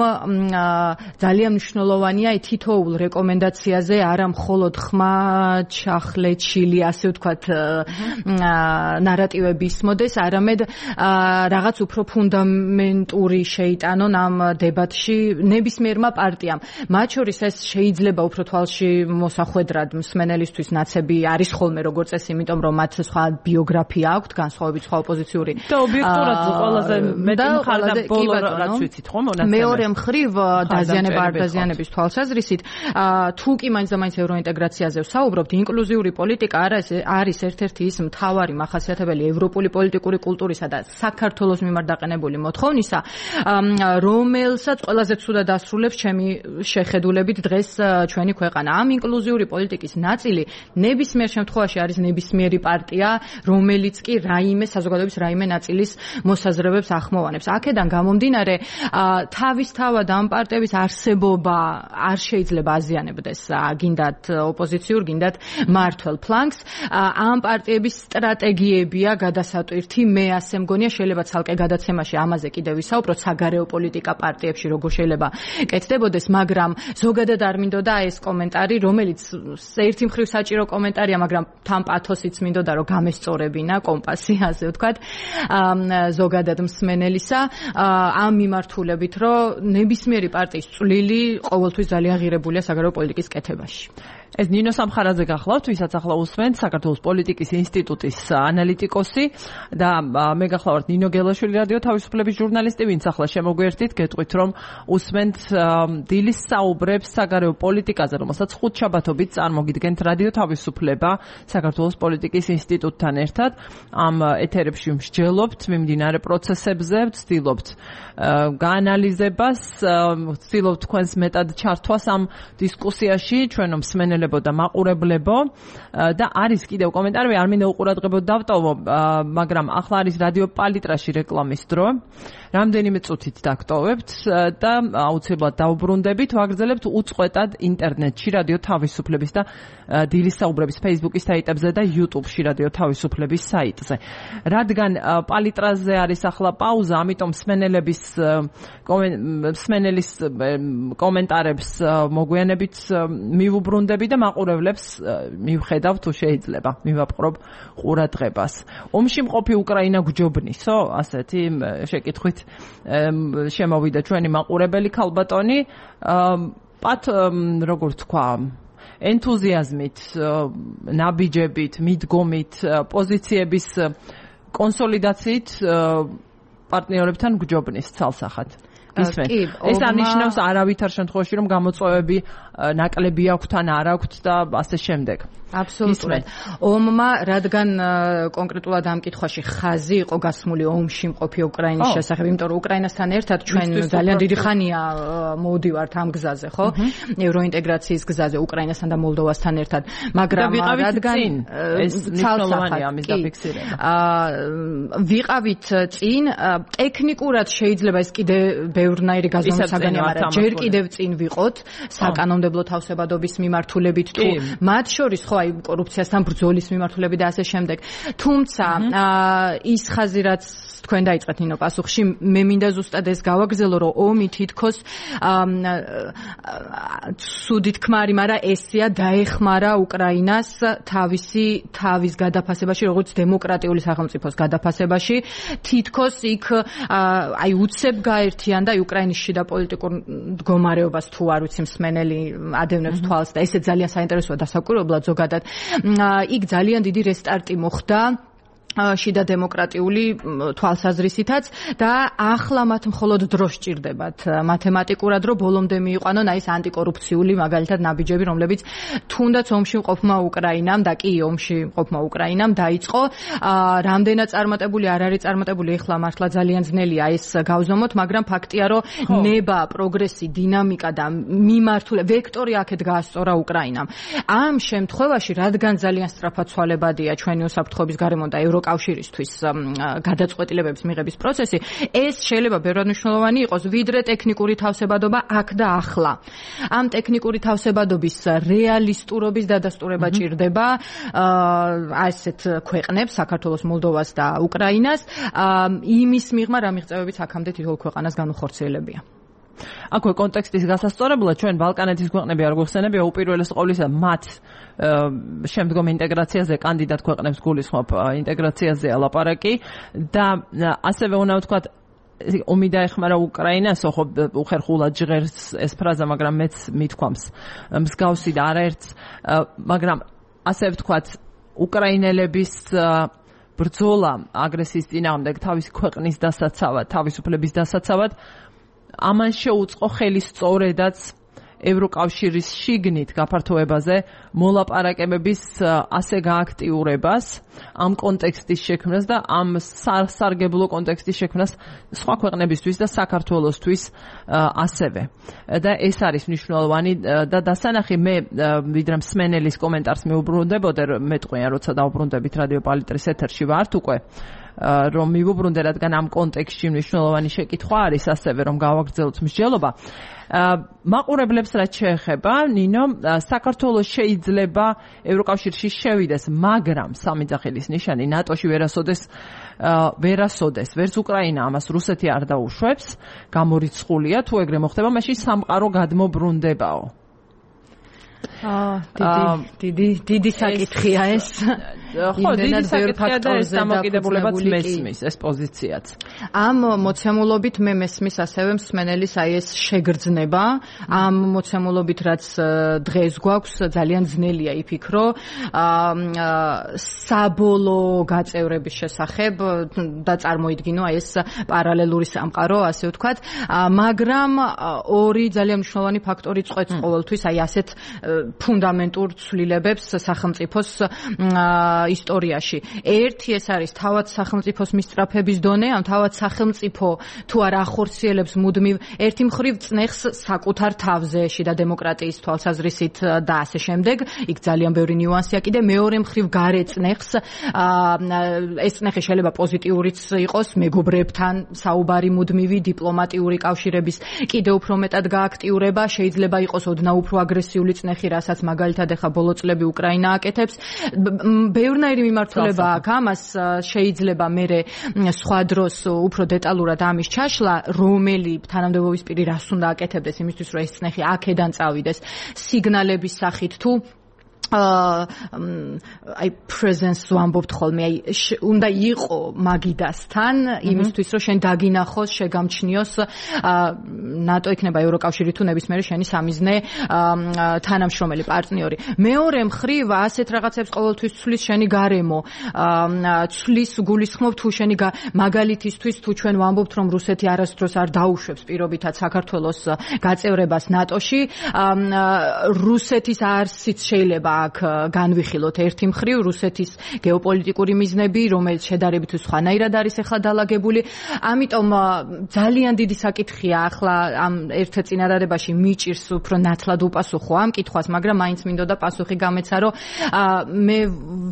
ძალიან მნიშვნელოვანია თითოეულ რეკომენდაციაზე არა მხოლოდ ხმა, ჩახლეჩილი, ასე ვთქვათ, ნარატივები ისმოდეს, არამედ რაღაც უფრო ფუნდამენტური შეიტანონ ამ დებატში ნებისმიერმა პარტიამ. მათ შორის ეს შეიძლება უფრო თვალში მოსახვედრად მსმენელისთვის ნაცები არის ხოლმე როგორც წესი, იმიტომ რომ მათ სხვა ბიოგრაფია აქვთ, განსხვავებით სხვა ოპოზიციური და ობიექტურად ყველაზე მეტი მხარდა ბოლო რაც ვიცით ხო მონაცემები. მეორე მხრივ დაზიანების თვალსაზრისით, თუ კი მაინც და მაინც ევროინტეგრაციაზე ვსაუბრობთ, ინკლუზიური პოლიტიკა არის ერთ-ერთი ის მთავარი მახასიათებელი ევროპული პოლიტიკური კულტურისა და საქართველოს მიმართ დაყენებული მოთხოვნისა, რომელსაც ყველაზე ცუდად ასრულებს ჩემი შეხედულებით დღეს ჩვენი ქვეყანა. ამ ინკლუზიური პოლიტიკის ნაწილი ნებისმიერ შემთხვევაში არის ნებისმიერი პარტია, რომელიც კი საზოგადოების რაიმე ნაწილის მოსაზრებებს ახმოვანებს. აქედან გამომდინარე, თავისთავად ამ პარტიების არსებობა არ შეიძლება აზიანებდეს გინდათ ოპოზიციურ, გინდათ მართველ ფლანგს. ამ პარტიების სტრატეგიებია გადასატვირთი, მე ასე მგონია, შეიძლება ცალკე გადაცემაში ამაზე კიდევ ვისაუბროთ, საგარეო პოლიტიკა პარტიებში როგორ შეიძლება კეთდებოდეს, მაგრამ ზოგადად არ მინდოდა ეს კომენტარი, რომელიც ერთი მხრივ საჭირო კომენტარია, მაგრამ თან პათოსიც მინდოდა რომ გამესწორებინა კომპასი, ასე ვთქვათ, ზოგადად მსმენელისა, ამ მიმართულებით, რომ ნებისმიერი პარტიის წვლილი ყოველთვის ძალიან ღირებულია საგარეო პოლიტიკის კეთებაში. ეს ნინო სამხარაძე გახლავთ, ვისაც ახლა უსმენთ, საქართველოს პოლიტიკის ინსტიტუტის ანალიტიკოსი და მე გახლავართ ნინო გელაშვილი, რადიო თავისუფლების ჟურნალისტი, ვინც ახლა შემოგვერთით, გეტყვით რომ უსმენთ დილის საუბრებს საგარეო პოლიტიკაზე, რომელსაც ხუთშაბათობით წარმოგიდგენთ რადიო თავისუფლება საქართველოს პოლიტიკის ინსტიტუტთან ერთად. ამ ეთერებში მსჯელობთ მიმდინარე პროცესებზე, ვცდილობთ გაანალიზებას, ვცდილობთ თქვენს მეტად ჩართვას ამ დისკუსიაში, ჩვენო მსმენელებო და მაყურებლებო და არის კიდევ კომენტარები, არ მინდა უყურადღებოდ დავტოვო, მაგრამ ახლა არის რადიო პალიტრაში რეკლამის დრო. რამდენიმე წუთით დაგტოვებთ და აუცილებლად დავუბრუნდებით, ვაგრძელებთ უწყვეტად ინტერნეტში რადიო თავისუფლების და დილის საუბრების Facebook-ის საიტებზე და YouTube-ში რადიო თავისუფლების საიტზე. რადგან პალიტრაზე არის ახლა პაუზა, ამიტომ მსმენელის კომენტარებს მოგვიანებით მივუბრუნდები და მაყურებლებს მივხედავ თუ შეიძლება მივაპყრობ ყურადღებას. ომში მყოფი უკრაინა გვჯობნისო? ასეთი შეკითხვით შემოვიდა ჩვენი მაყურებელი ქალბატონი. პათ როგორ თქვა, ენთუზიაზმით, ნაბიჯებით, მიდგომით, პოზიციების კონსოლიდაციით პარტნიორებთან გვჯობნის ცალსახად. ეს არნიშნავს არავითარ შემთხვევაში რომ გამოწვევები ნაკლები აქვთ ან არ აქვთ და ასე შემდეგ. აბსოლუტურად. ომმა რადგან კონკრეტულად ამ კითხვაში ხაზი იყო გასმული ომში მყოფი უკრაინის შესახებ, იმიტომ რომ უკრაინასთან ერთად ჩვენ ძალიან დიდი ხანია მოვდივართ ამ გზაზე, ხო? ევროინტეგრაციის გზაზე უკრაინასთან და მოლდოვასთან ერთად, მაგრამ რადგან ეს მნიშვნელოვანია ამის დაფიქსირება. ვიყავით წინ, ტექნიკურად შეიძლება ეს კიდე ბევრნაირი გაზომვისაგანია, მაგრამ ჯერ კიდევ წინ ვიყოთ საკანონმდებლო თავსებადობის მიმართულებით თუ მათ შორის ხო აი კორუფციასთან ბრძოლის მიმართულებით და ასე შემდეგ. თუმცა ის ხაზი რაც თქვენ დაიწყეთ ნინო პასუხში, მე მინდა ზუსტად ეს გავაგრძელო, რომ ომი თითქოს სუდით ქმარი, მაგრამ ესეა დაეხმარა უკრაინას თავის გადაფასებაში, როგორც დემოკრატიული სახელმწიფოს გადაფასებაში. თითქოს იქ აი უცებ გაერთიანდა უკრაინის შიდა პოლიტიკურ მდგომარეობას თუ არ ვიცი მსმენელი ადევნებს თვალს და ესე ძალიან საინტერესოა დასაკვირვებლად ზოგადად. იქ ძალიან დიდი რესტარტი მოხდა შიდა დემოკრატიული თვალსაზრისითაც და ახლა მათ მხოლოდ დრო სჭირდებათ მათემატიკურად, რომ ბოლომდე მიიყვანონ აი ეს ანტიკორუფციული მაგალითად ნაბიჯები, რომლებიც თუნდაც ომში მყოფმა უკრაინამ და კი ომში მყოფმა უკრაინამ დაიწყო. რამდენად წარმატებული არ არის წარმატებული, ეხლა მართლა ძალიან ძნელია ეს გავზომოთ, მაგრამ ფაქტია, რომ ნება, პროგრესი, დინამიკა და მიმართულე ვექტორი აქეთ გაასწორა უკრაინამ. ამ შემთხვევაში, რადგან ძალიან სწრაფად ცვალებადია ჩვენი უსაფრთხოების გარემო და კავშირისთვის გადაწყვეტილებების მიღების პროცესი, ეს შეიძლება ბევრად მნიშვნელოვანი იყოს, ვიდრე ტექნიკური თავსებადობა აქ და ახლა. ამ ტექნიკური თავსებადობის რეალისტურობის დადასტურება ჭირდება ასეთ ქვეყნებს, საქართველოს, მოლდოვას და უკრაინას, იმის მიღმა რა მიღწევებიც აქამდე თითოეულ ქვეყანას განუხორციელებია. აქვე კონტექსტის გასასწორებლად ჩვენ ბალკანეთის ქვეყნები არ გვეხსენებია უპირველეს ყოვლისა მათ შემდგომ ინტეგრაციაზე კანდიდატ ქვეყნებს გულისხმობ ინტეგრაციაზეა ლაპარაკი და ასევე უნდა ვთქვათ ომი დაეხმარა უკრაინას, ხო უხერხულად ჟღერს ეს ფრაზა, მაგრამ მეც მithქვამს მსგავსი და არაერთს, მაგრამ ასე ვთქვათ უკრაინელების ბრძოლა აგრესიის წინააღმდეგ თავის ქვეყნის დასაცავად, თავისუფლების დასაცავად ამან შეუწყო ხელი სწორედაც ევროკავშირის შიგნით გაფართოებაზე მოლაპარაკებების ასე გააქტიურებას, ამ კონტექსტის შექმნას და ამ სარგებლო კონტექსტის შექმნას სხვა ქვეყნებისთვის და საქართველოსთვის ასევე. და ეს არის მნიშვნელოვანი და დასანახი მე ვიდრე მსმენელის კომენტარს მეუბრუნდებოდე, მეტყვია როცა დავუბრუნდებით რადიო პალიტრის ეთერში ვართ უკვე რომ მივუბრუნდე, რადგან ამ კონტექსტში მნიშვნელოვანი შეკითხვა არის ასევე რომ გავაგრძელოთ მსჯელობა. მაყურებლებს რაც შეეხება, ნინო, საქართველოს შეიძლება ევროკავშირში შევიდეს, მაგრამ სამი ძახილის ნიშანი ნატოში ვერასოდეს, ვერც უკრაინა ამას რუსეთი არ დაუშვებს, გამორიცხულია, თუ ეგრე მოხდება, მაშინ სამყარო გადმობრუნდებაო. დიდი საკითხია ეს. ხო, დიდი საკითხია და ეს დამოკიდებულებაც მესმის ეს პოზიციაც. ამ მოცემულობით მე მესმის ასევე მსმენელის აი ეს შეგრძნება, ამ მოცემულობით რაც დღეს გვაქვს ძალიან ძნელია იფიქრო საბოლოო გაწევრების შესახებ და წარმოიდგინო აი ეს პარალელური სამყარო, ასე ვთქვათ, მაგრამ ორი ძალიან მნიშვნელოვანი ფაქტორი წყვეტს ყოველთვის აი ასეთ ფუნდამენტურ ცვლილებებს სახელმწიფოს ისტორიაში. ერთი ეს არის თავად სახელმწიფოს მისწრაფების დონე, ან თავად სახელმწიფო თუ არ ახორციელებს მუდმივ ერთი მხრივ წნეხს საკუთარ თავზე შიდა დემოკრატიის თვალსაზრისით და ასე შემდეგ. იქ ძალიან ბევრი ნიუანსია კიდე. მეორე მხრივ გარე წნეხს, ეს წნეხი შეიძლება პოზიტიურიც იყოს, მეგობრებთან საუბარი მუდმივი, დიპლომატიური კავშირების კიდე უფრო მეტად გააქტიურება, შეიძლება იყოს ოდნავ უფრო აგრესიული წნეხი, რასაც მაგალითად ახლა ბოლო წლები უკრაინა აკეთებს. ბევრნაირი მიმართულება აქვს ამას, შეიძლება მერე სხვა დროს უფრო დეტალურად ამის ჩაშლა, რომელი თანამდებობის პირი რას უნდა აკეთებდეს იმისთვის, რომ ეს წნეხი აქედან წავიდეს სიგნალების სახით თუ აი presence ვამბობთ ხოლმე, აი უნდა იყო მაგიდასთან იმისთვის, რომ შენ დაგინახოს, შეგამჩნიოს ნატო იქნება ევროკავშირი თუ ნებისმიერი შენი სამიზნე თანამშრომელი პარტნიორი. მეორე მხრივ ასეთ რაღაცებს ყოველთვის ცვლის შენი გარემო, ცვლის გულისხმობ თუ შენი მაგალითისთვის თუ ჩვენ ვამბობთ, რომ რუსეთი არასდროს არ დაუშვებს პირობითად საქართველოს გაწევრებას ნატოში, რუსეთის არსიც შეიძლება აქ განვიხილოთ ერთი მხრივ რუსეთის გეოპოლიტიკური მიზნები, რომელიც შედარებით სხვანაირად არის ახლა დალაგებული. ამიტომ ძალიან დიდი საკითხია ახლა ამ ერთ წინადადებაში მიჭირს უფრო ნათლად უპასუხო ამ კითხვას, მაგრამ მაინც მინდოდა პასუხი გამეცა, რომ მე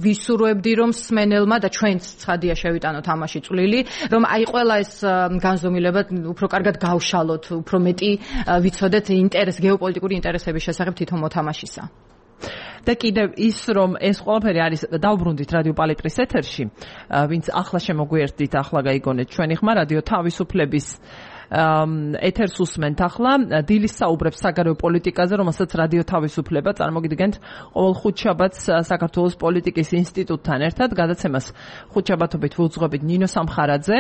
ვისურვებდი, რომ სმენელმა და ჩვენც ცხადია შევიტანოთ ამაში წვლილი, რომ აი ყველა ეს განზომილება უფრო კარგად გავშალოთ, უფრო მეტი ვიცოდეთ გეოპოლიტიკური ინტერესების შესახებ თვითონ მოთამაშისა. და კიდევ ის, რომ ეს ყველაფერი არის დავბრუნდით რადიო პალიტრის ეთერში, ვინც ახლა შემოგვიერთდით, ახლა გაიგონეთ ჩვენი ხმა რადიო თავისუფლების ეთერს უსმენთ ახლა დილის საუბრებს საგარეო პოლიტიკაზე, რომელსაც რადიო თავისუფლება წარმოგიდგენთ ყოველ ხუთშაბათს საქართველოს პოლიტიკის ინსტიტუტთან ერთად. გადაცემას ხუთშაბათობით ვუძღვებით ნინო სამხარაძე,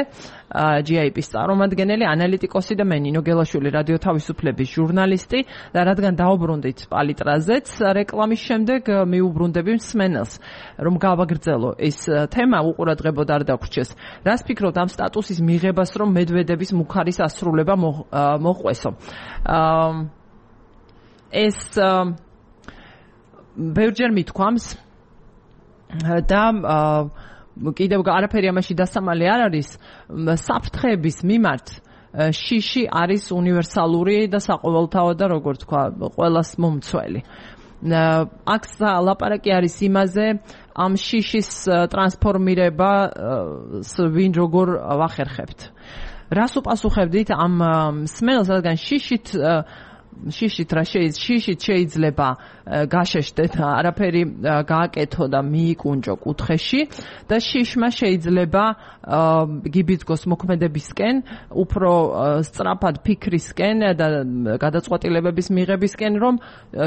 GIP-ის წარმომადგენელი, ანალიტიკოსი და მე ნინო გელაშვილი, რადიო თავისუფლების ჟურნალისტი. და რადგან დავბრუნდით პალიტრაზეც, რეკლამის შემდეგ მიუბრუნდები მსმენელს, რომ გავაგრძელო ეს თემა, უყურადღებოდ არ დაგვრჩეს. რას ფიქრობთ ამ სტატუსის მიღებას, რომ მედვედევის მუხარის სრულება მოყვესო. ეს ბევრჯერ მithქვამს და კიდევ არაფერი ამაში დასამალი არ არის. საფრთხეების მიმართ შიში არის უნივერსალური და საყოველთაო და როგორ თქვა, ყველას მომცველი. აქ ლაპარაკი არის იმაზე, ამ შიშის ტრანსფორმირება ვინ როგორ ვახერხებთ. რას უპასუხებდით ამ სმენელს, რადგან შიშით შეიძლება გაშეშდეთ, არაფერი გააკეთო და მიიკუნჯო კუთხეში და შიშმა შეიძლება გიბიძგოს მოქმედებისკენ, უფრო სწრაფად ფიქრისკენ და გადაწყვეტილებების მიღებისკენ, რომ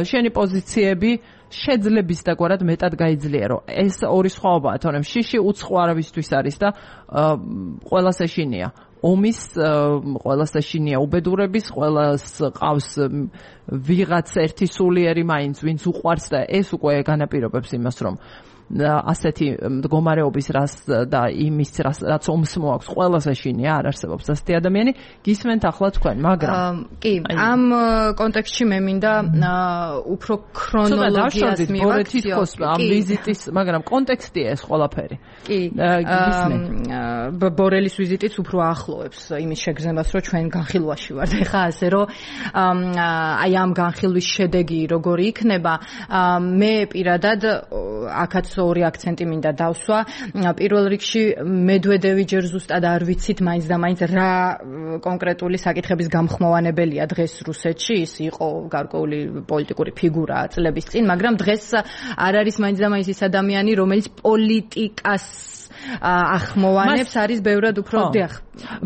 შენი პოზიციები შეძლების და გვარად მეტად გაიძლიერო. ეს ორი სხვაობაა, თორემ შიში უცხო არავისთვის არის და ყველას ეშინია. ომის ყველას ეშინია უბედურების, ყველას ყავს ვიღაც ერთი სულიერი მაინც, ვინც უყვარს და ეს უკვე განაპირობებს იმას, რომ ასეთი მდგომარეობის რას და იმის რაც ომს მოაქვს, ყველას ეშინია, არ არსებობს ასეთი ადამიანი. გისმენთ ახლა თქვენ, მაგრამ კი, ამ კონტექსტში მე მინდა უფრო ქრონოლოგიას მივაქციო. ამ ვიზიტის, მაგრამ კონტექსტია ეს ყველაფერი. კი, ბორელის ვიზიტიც უფრო ახლოვებს იმის შეგრძნებას, რომ ჩვენ განხილვაში ვართ ეხა ასე, რომ აი ამ განხილვის შედეგი როგორი იქნება, მე პირადად აქაც ორი აქცენტი მინდა დავსვა. პირველ რიგში მედვედევი ჯერ ზუსტად არ ვიცით მაინც და მაინც რა კონკრეტული საკითხების გამხმოვანებელია დღეს რუსეთში. ის იყო გარკვეული პოლიტიკური ფიგურა წლების წინ, მაგრამ დღეს არ არის მაინც და მაინც ის ადამიანი, რომელიც პოლიტიკას ახმოვანებს, არის ბევრად უფრო დიახ.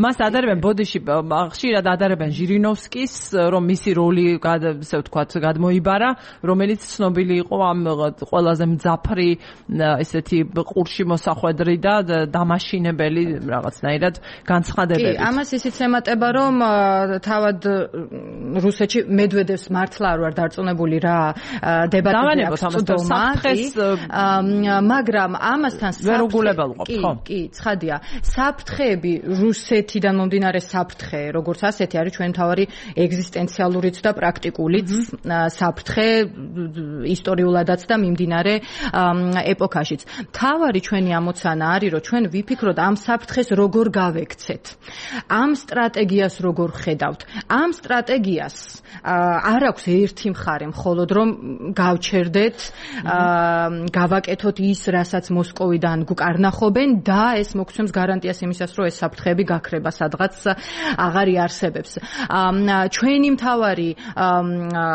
მას ადარებენ ბოდიში, ხშირად ადარებენ ჟირინოვსკის, რომ მისი როლი, ასე ვთქვათ, გადმოიბარა, რომელიც ცნობილი იყო ამ ყველაზე მძაფრი, ესეთი ყურში მოსახვედრი და დამაშინებელი რაღაცნაირად განცხადებებით. კი, ამას ისიც ემატება, რომ თავად რუსეთში მედვედევს მართლა არ ვარ დარწმუნებული რა დებატები აქვს წვდომა, მაგრამ ამასთან ვერუგულებელყოფ, ხო? კი, ცხადია. საფრთხეები რუსეთიდან მომდინარე საფრთხე, როგორც ასეთი არის ჩვენ მთავარი ეგზისტენციალურიც და პრაქტიკულიც საფრთხე ისტორიულადაც და მიმდინარე ეპოქაშიც. მთავარი ჩვენი ამოცანა არის, რომ ჩვენ ვიფიქროთ ამ საფრთხეს როგორ გავექცეთ. ამ სტრატეგიას როგორ ხედავთ? ამ სტრატეგიას არ აქვს ერთი მხარე, მხოლოდ რომ გავჩერდეთ, გავაკეთოთ ის, რასაც მოსკოვიდან გვკარნახობენ და ეს მოგცემს გარანტიას იმისას, რომ ეს საფრთხეები გაქრება სადღაც აღარ იარსებებს. ჩვენი მთავარი,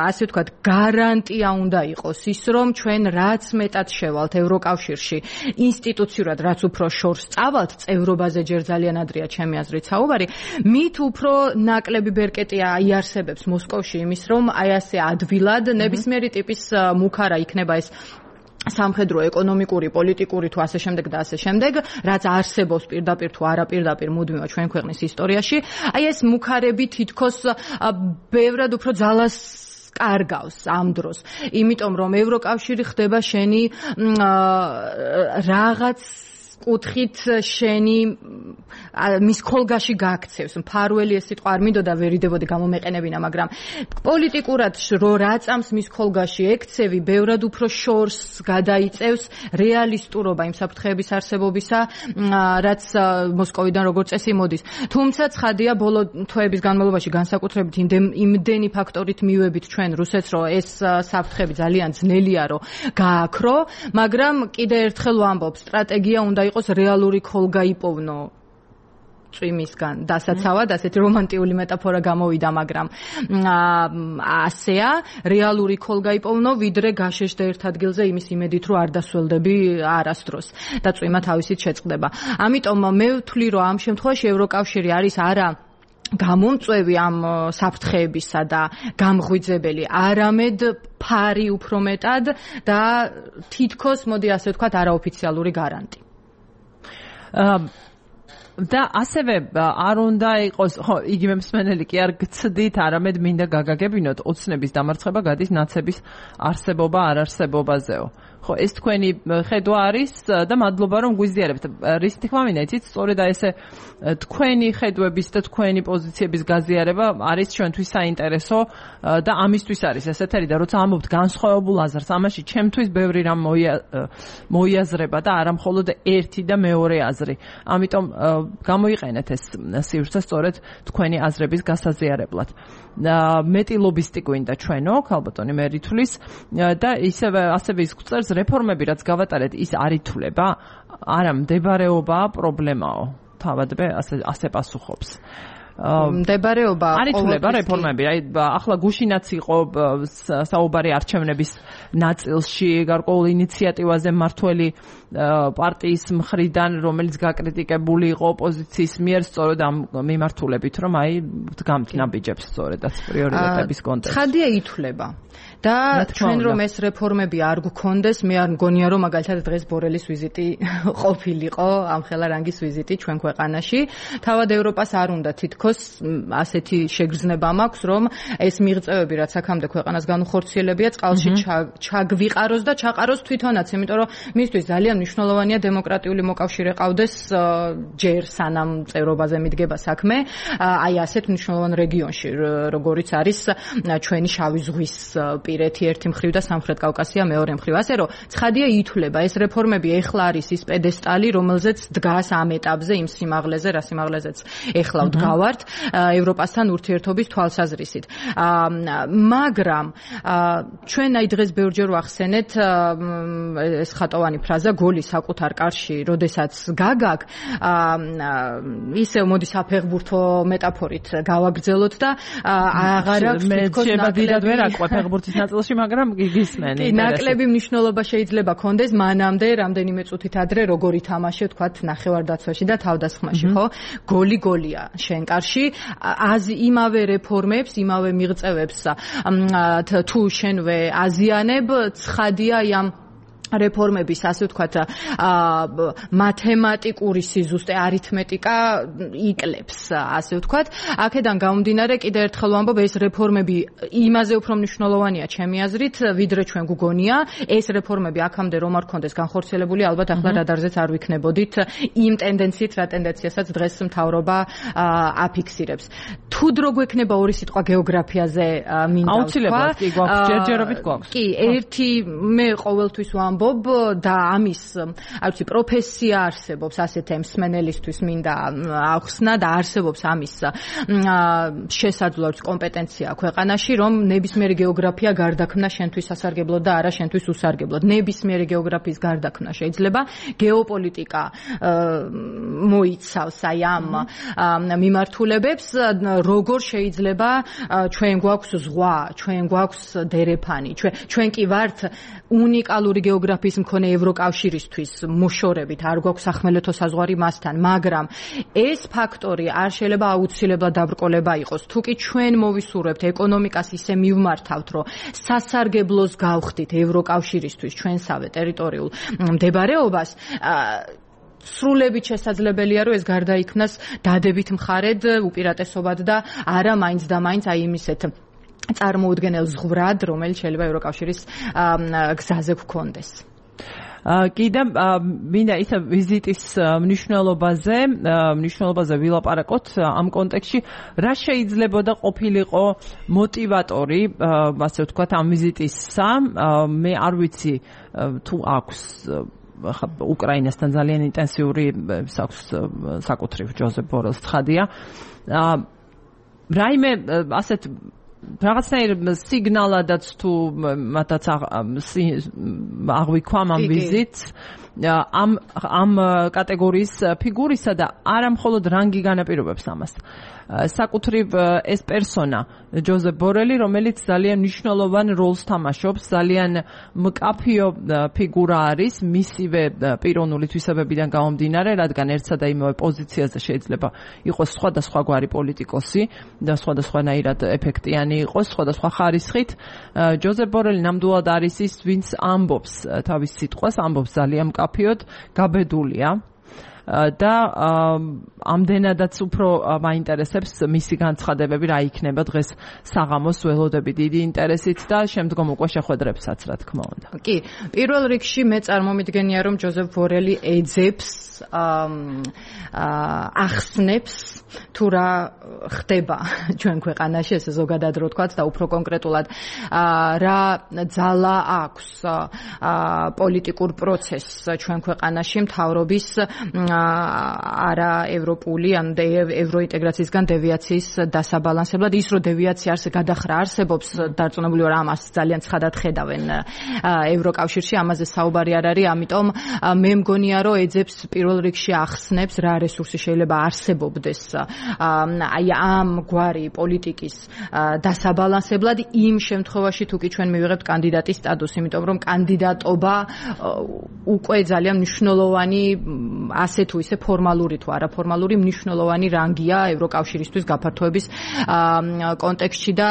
ასე ვთქვათ, გარანტია უნდა იყოს ის, რომ ჩვენ რაც მეტად შევალთ ევროკავშირში ინსტიტუციურად, რაც უფრო შორს წავალთ, წევრობაზე ჯერ ძალიან ადრეა ჩემი აზრით საუბარი, მით უფრო ნაკლები ბერკეტი იარსებებს მოსკოვში იმის, რომ აი ასე ადვილად ნებისმიერი ტიპის მუქარა იქნება ეს სამხედრო, ეკონომიკური, პოლიტიკური თუ ასე შემდეგ და ასე შემდეგ, რაც არსებობს პირდაპირ თუ არა პირდაპირ მუდმივად ჩვენ ქვეყნის ისტორიაში, აი ეს მუქარები თითქოს ბევრად უფრო ძალას კარგავს ამ დროს. იმიტომ რომ ევროკავშირი ხდება შენი რაღაც კუთხით შენი მის ხოლგაში გაქცევს. მფარველი ეს სიტყვა არ მინდოდა ვერიდებოდი გამომეყენებინა, მაგრამ პოლიტიკურად რო რაწამს მის ხოლგაში ექცევი, ბევრად უფრო შორს გადაიწევს რეალისტურობა იმ საფრთხეების არსებობისა, რაც მოსკოვიდან როგორც წესი მოდის. თუმცა ცხადია, ბოლო თვეების განმავლობაში განსაკუთრებით იმდენი ფაქტორით მივებით ჩვენ რუსეთს, რომ ეს საფრთხები ძალიან ძნელია, რომ გააქრო, მაგრამ კიდე ერთხელ ვამბობ, სტრატეგია უნდა იყოს რეალური ხოლგა იპოვნო წვიმისგან. დასაცავად ასეთი რომანტიული მეტაფორა გამოვიდა, მაგრამ ასეა, რეალური ხოლგა იპოვნო, ვიდრე გაშეშდე ერთ ადგილზე იმის იმედით, რომ არ დასველდები არასდროს და წვიმა თავისით შეწყდება. ამიტომ მე ვთვლი, რომ ამ შემთხვევაში ევროკავშირი არის არა გამომწვევი ამ საფრთხეებისა და გამღვიძებელი, არამედ ფარი უფრო მეტად და თითქოს, მოდი ასე ვთქვათ, არაოფიციალური გარანტი. და ასევე არ უნდა იყოს, ხო, იგივე მსმენელი კი არ გცდით, არამედ მინდა გაგაგებინოთ, ოცნების დამარცხება გადის ნაცების არსებობა არარსებობაზეო. ხო, ეს თქვენი ხედვა არის და მადლობა რომ გვიზიარებთ. რის თქმა მინდა, იცით, სწორედ ესე თქვენი ხედვების და თქვენი პოზიციების გაზიარება არის ჩვენთვის საინტერესო და ამისთვის არის ესეთერი და როცა ამობთ განსხვავებულ აზრს, ამაში ჩემთვის ბევრი რამ მოიაზრება და არა მხოლოდ ერთი და მეორე აზრი. ამიტომ გამოიყენეთ ეს სივრცე სწორედ თქვენი აზრების გასაზიარებლად. მეტი ლობისტი გვინდა ჩვენო, ქალბატონი მერითulis და ასევე ის გვწერს რეფორმები, რაც გავატარეთ, ის არ ითვლება, არა მდებარეობაა, პრობლემაო. თავადვე ასე პასუხობს. მდებარეობა არ ითვლება რეფორმები. აი ახლა გუშინაც იყო საუბარი არჩევნების ნაწილში გარკვეულ ინიციატივაზე მმართველი პარტიის მხრიდან, რომელიც გაკრიტიკებული იყო ოპოზიციის მიერ სწორედ ამ მიმართულებით, რომ აი დგამთ ნაბიჯებს სწორედაც პრიორიტეტების კონტექსტში. ცხადია ითვლება. და ჩვენ რომ ეს რეფორმები არ გქონდეს, მე არ მგონია რომ მაგალითად დღეს ბორელის ვიზიტი ყოფილიყო, ამხელა რანგის ვიზიტი ჩვენ ქვეყანაში. თავად ევროპას არ უნდა თითქოს ასეთი შეგრძნება მაქვს, რომ ეს მიღწევები, რაც აქამდე ქვეყანას განუხორციელებია, წყალში ჩაგვიყაროს და ჩაყაროს თვითონაც, იმიტომ რომ მისთვის ძალიან მნიშვნელოვანია დემოკრატიული მოკავშირე ყავდეს ჯერ სანამ წევრობაზე მიდგება საქმე, აი ასეთ მნიშვნელოვან რეგიონში, როგორიც არის ჩვენი შავი ზღვის პირეთი ერთი მხრივ და სამხრეთ კავკასია მეორე მხრივ. ასე რომ ცხადია ითვლება ეს რეფორმები ეხლა არის ის პედესტალი, რომელზეც დგას ამ ეტაპზე იმ სიმაღლეზე, რა სიმაღლეზეც ეხლა ვდგავართ ევროპასთან ურთიერთობის თვალსაზრისით. მაგრამ ჩვენ აი დღეს ბევრჯერ ვახსენეთ ეს ხატოვანი ფრაზა გოლი საკუთარ კარში, როდესაც გაგაგ, ისევ მოდი საფეხბურთო მეტაფორით გავაგრძელოთ და აღარ აქვს თითქოს ფეხბურთის ნაწილში, მაგრამ გისმენი. ნაკლები მნიშვნელობა შეიძლება კონდეს მანამდე, რამდენიმე წუთით ადრე როგორი თამაში, თქვათ, ნახევარდაცვაში და თავდასხმაში, ხო? გოლი გოლია შენ კარში, იმავე რეფორმებს, იმავე მიღწევებს თუ შენვე აზიანებ, ცხადია ამ რეფორმების, ასე ვთქვათ, მათემატიკური სიზუსტე, არითმეტიკა იკლებს, ასე ვთქვათ. აქედან გამომდინარე, კიდევ ერთხელ ვამბობ, ეს რეფორმები იმაზე უფრო მნიშვნელოვანია ჩემი აზრით, ვიდრე ჩვენ გგონია, ეს რეფორმები აქამდე რომ არ ქონდეს განხორციელებული, ალბათ ახლა რადარზეც არ ვიქნებოდით იმ ტენდენციით, რა ტენდენციასაც დღეს მთავრობა აფიქსირებს. თუ დრო გვექნება ორი სიტყვა გეოგრაფიაზე მინდა ვთქვა. აუცილებლად, კი, გვაქვს, ჯერჯერობით გვაქვს. კი, ერთი მე ყოველთვის ვამბობ და ამის, არცი პროფესია არსებობს, ასეთ მსმენელისთვის მინდა ახსნა და არსებობს ამის შესაძლოა კომპეტენცია ქვეყანაში, რომ ნებისმიერი გეოგრაფია გარდაქმნა შენთვის სასარგებლოდ და არა შენთვის უსარგებლოდ. ნებისმიერი გეოგრაფიის გარდაქმნა შეიძლება გეოპოლიტიკა მოიცავს აი ამ მიმართულებებს, როგორ შეიძლება ჩვენ გვაქვს ზღვა, ჩვენ გვაქვს დერეფანი, ჩვენ კი ვართ უნიკალური გეოგრაფიის მქონე ევროკავშირისთვის მოშორებით, არ გვაქვს სახმელეთო საზღვარი მასთან, მაგრამ ეს ფაქტორი არ შეიძლება აუცილებლად დაბრკოლება იყოს. თუ კი ჩვენ მოვისურვებთ ეკონომიკას ისე მივმართავთ, რომ სასარგებლოს გავხდით ევროკავშირისთვის ჩვენსავე ტერიტორიულ მდებარეობას, სრულებით შესაძლებელია, რომ ეს გარდაიქმნას დადებით მხარედ, უპირატესობად და არა მაინც და მაინც აი იმისეთ წარმოუდგენელ ზღვრად, რომელიც შეიძლება ევროკავშირის გზაზე გქონდეს. კიდევ მინდა ისა ვიზიტის მნიშვნელობაზე ვილაპარაკოთ ამ კონტექსტში, რა შეიძლებოდა ყოფილიყო მოტივატორი, ასე ვთქვათ, ამ ვიზიტისა. მე არ ვიცი თუ აქვს უკრაინასთან ძალიან ინტენსიური საკუთრივ ჯოზეფ ბორელს ცხადია. რაიმე ასეთ რაღაცნაირ სიგნალადაც თუ მათაც აღვიქვამ ამ ვიზიტს ამ კატეგორიის ფიგურისა და არა მხოლოდ რანგი განაპირობებს ამას. საკუთრივ ეს პერსონა ჯოზეფ ბორელი, რომელიც ძალიან მნიშვნელოვან როლს თამაშობს, ძალიან მკაფიო ფიგურა არის მისივე პიროვნული თვისებებიდან გამომდინარე, რადგან ერთსა და იმავე პოზიციაზე შეიძლება იყოს სხვადასხვაგვარი პოლიტიკოსი და სხვადასხვანაირად ეფექტიანი იყოს, სხვადასხვა ხარისხით. ჯოზეფ ბორელი ნამდვილად არის ის, ვინც ამბობს თავის სიტყვას, ამბობს ძალიან მკაფიოდ, გაბედულია. და ამდენადაც უფრო მაინტერესებს მისი განცხადებები, რა იქნება დღეს საღამოს, ველოდები დიდი ინტერესით და შემდგომ უკვე შეხვედრებსაც, რა თქმა უნდა. კი, პირველ რიგში მე წარმომიდგენია, რომ ჯოზეფ ბორელი ეძებს, ახსნებს თუ რა ხდება ჩვენ ქვეყანაში, ესე ზოგადად რო ვთქვათ და უფრო კონკრეტულად რა ძალა აქვს პოლიტიკურ პროცესს ჩვენ ქვეყანაში მთავრობის არა ევროპული ან ევროინტეგრაციისგან დევიაციის დასაბალანსებლად. ის რომ დევიაცია გადახრა არსებობს, დარწმუნებული ვარ, ამას ძალიან ცხადად ხედავენ ევროკავშირში, ამაზე საუბარი არ არის, ამიტომ მე მგონია, რომ ეძებს პირველ რიგში ახსნებს რა რესურსი შეიძლება არსებობდეს აი ამ გვარი პოლიტიკის დასაბალანსებლად იმ შემთხვევაში, თუ კი ჩვენ მივიღებთ კანდიდატის სტატუსი, იმიტომ რომ კანდიდატობა უკვე ძალიან მნიშვნელოვანი ასე თუ ისე ფორმალური თუ არაფორმალური მნიშვნელოვანი რანგია ევროკავშირისთვის გაფართოების კონტექსტში და